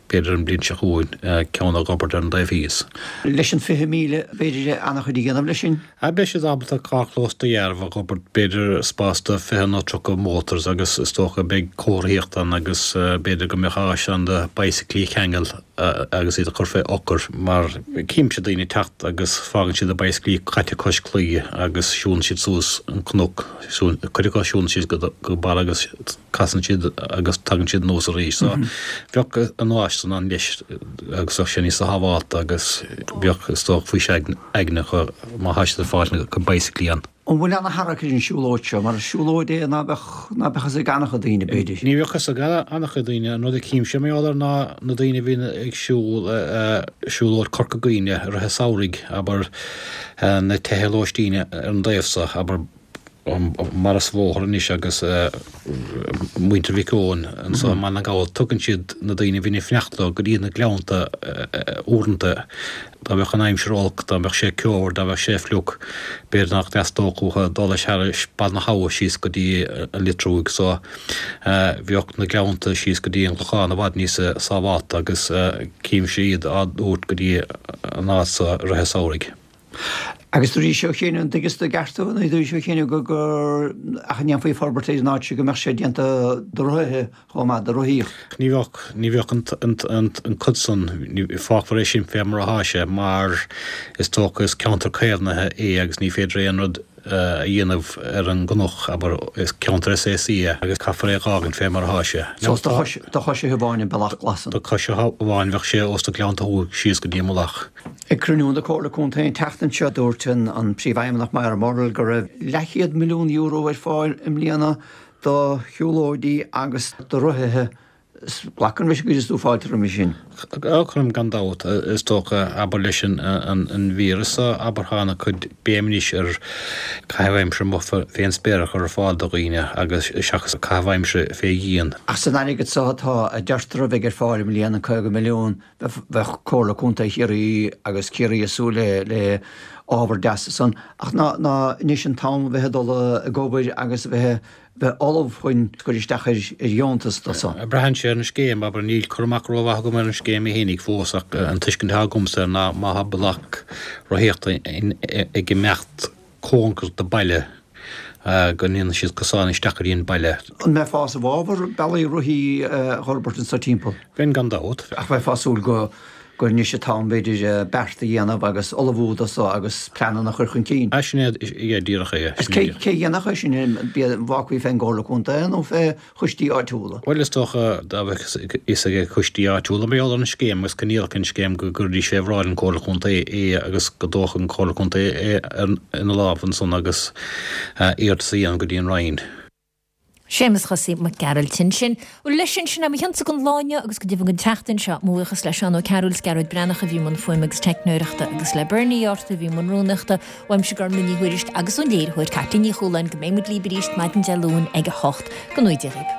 b'fhéidir an bhliain seo chugainn ceann a dh'fhorbairt ar an dtaobh thíos. Leis an fiche míle b'fhéidir an-chuid a dhéanamh leis sin? Beidh siad ábalta carrchlós dearbh a dh'fhorbairt, b'fhéidir spás do fiche nó tríocha motors agus is dócha beidh comharthaíocht ann agus b'fhéidir go mbeadh áis ann do bicyclí a cheangal agus iad a chur fé eochair mar címse daoine ag teacht agus fágann siad a bicyclí caite cois claí agus siúlann siad suas an cnoc, cuid acu siúlann siad go barr agus casann siad agus tagann siad anuas arís. So bheadh an áis san ann leis agus bheadh sé níos sábhálta agus bheadh is dócha faoiseamh aigne acu má thá siad ag fáil a gcuid bicyclí ann. An bhfuil ana-tharrac ar an siúlóid seo mar is siúlóid é ná beadh ná beadh fhios ag an-chuid daoine b'fhéidir? Ní bheadh fhios ag an-chuid daoine. An rud a chímse mar gheall air ná na daoine a bhíonn ag siúl siúlóid Corca Dhuibhne i rith an samhraidh, abair, na tithe lóistín ar an dtaobh so, abair, Mar is bhóthar anois agus muintir Mhic Eoin anso i mBaile na nGall, tugann siad na daoine a bhíonn ag fanacht leo go dtí na gleannta uaireanta. Dá mbeadh an aimsir olc, dá mbeadh sé ceomhar, dá mbeadh sé fliuch, b'fhéidir nach dteastódh uathu dul thairis Baile na hAbha síos go dtí an Litrúig so bheadh na gleannta síos go dtí an Clochán i bhfad níos sábhálta agus címse iad á dtabhairt go dtí an áit so i rith an samhraidh. Agus dúraís ó chian, an dtuigeas do i gceart thú, nó dúraís ó chian go gur ach a ndéanfaí forbairt ar an áit seo go mbeadh sé déanta do rothaithe chomh maith, do rothaíocht. Ní bheadh, ní bheadh an, an, an, an cuid san, ní, fágfar é sin fé mar athá sé mar is dócha is ceantar caomhnaithe é agus ní féidir aon rud a dhéanamh ar an gcnoc, abair, is ceantar SAC é agus caithfear é a dh'fhágaint fé mar athá sé. So is do choisithe amháin an bealach glas san. Do choisithe amháin bheadh sé ós na Gleannta Thuaidh síos go dtí an Mullach. Ag cruinniú na Comhairle Contae an tseachtain seo dúirt an Príomhfheidhmeannach Moira Murrell go raibh leathchéad milliún euro ar fáil i mbliana do shiúlóidí agus do rothaithe. Glacann mise go is tú fáilte roimhe sin. Cuirim gan dabht, is dócha, abair leis an víreas seo, abair tá ana chuid béim anois ar caitheamh aimsire amuigh fén spéir a chur ar fáil do dhaoine agus seachas caitheamh aimsire fé dhíon. Ach san airgead seo atá, a deirtear a bheidh ar fáil i mbliana, caoga milliún, bheadh Comhairle Contae Chiarraí agus Ciarraí ag súil le ábhar deas ansan. Ach ná anois an t-am a bheith ag dul ag obair agus a bheith bheith ullamh chun cur isteach ar dheontas do so. Braitheann sé ar an scéim, abair, níl cur amach rómhaith agam ar an scéim í fhéinig fós ach an tuiscint atá agamsa air ná má tá bealach rothaíochta ag imeacht cóngarach do baile go ndéanann siad cosán isteach go dtí an baile. An mbeifeá i bhfabhar bealaí rothaí a dh'fhorbairt anso timpeall? Bheinn gan dabht. Ach bheifeá ag súil go gur anois an t-am, b'fhéidir, beart a dhéanamh agus ullmhú do so agus pleananna a chur chun cinn. Ah, sin é díreach é. Is cé a dhéanfadh é sin, an bhfágfaí fén gComhairle Contae nó fé choistí áitiúla? Bhuel, is dócha, dá mbeadh fhios ag coistí áitiúla mar gheall ar an scéim agus coinníollacha an scéim go gcuirfidís fé bhráid an Chomhairle Contae é agus go dtógfadh an Chomhairle Contae é ina lámh ansan agus iarratas a dhéanamh go dtí an Roinn. Séamus Chosaí Mac Gearailt ansin. Bhuel, leis sin, sin é mo chionsa don lá inniu agus go deimhin don tseachtain seo. Mo bhuíochas le Seán Ó Cearúil is Gearóid Breathnach a bhí i mbun fuaime agus teicneoireachta agus le Bernie Arthur a bhí i mbun rúnaíochta. Uaimse Gormfhlaith Ní Thuairisg agus ón léiritheoir Caitlín Ní Chualáin go mbeidh muid libh arís maidin Dé Luain ag a hocht. Go ngnóthaí Dia dhaoibh.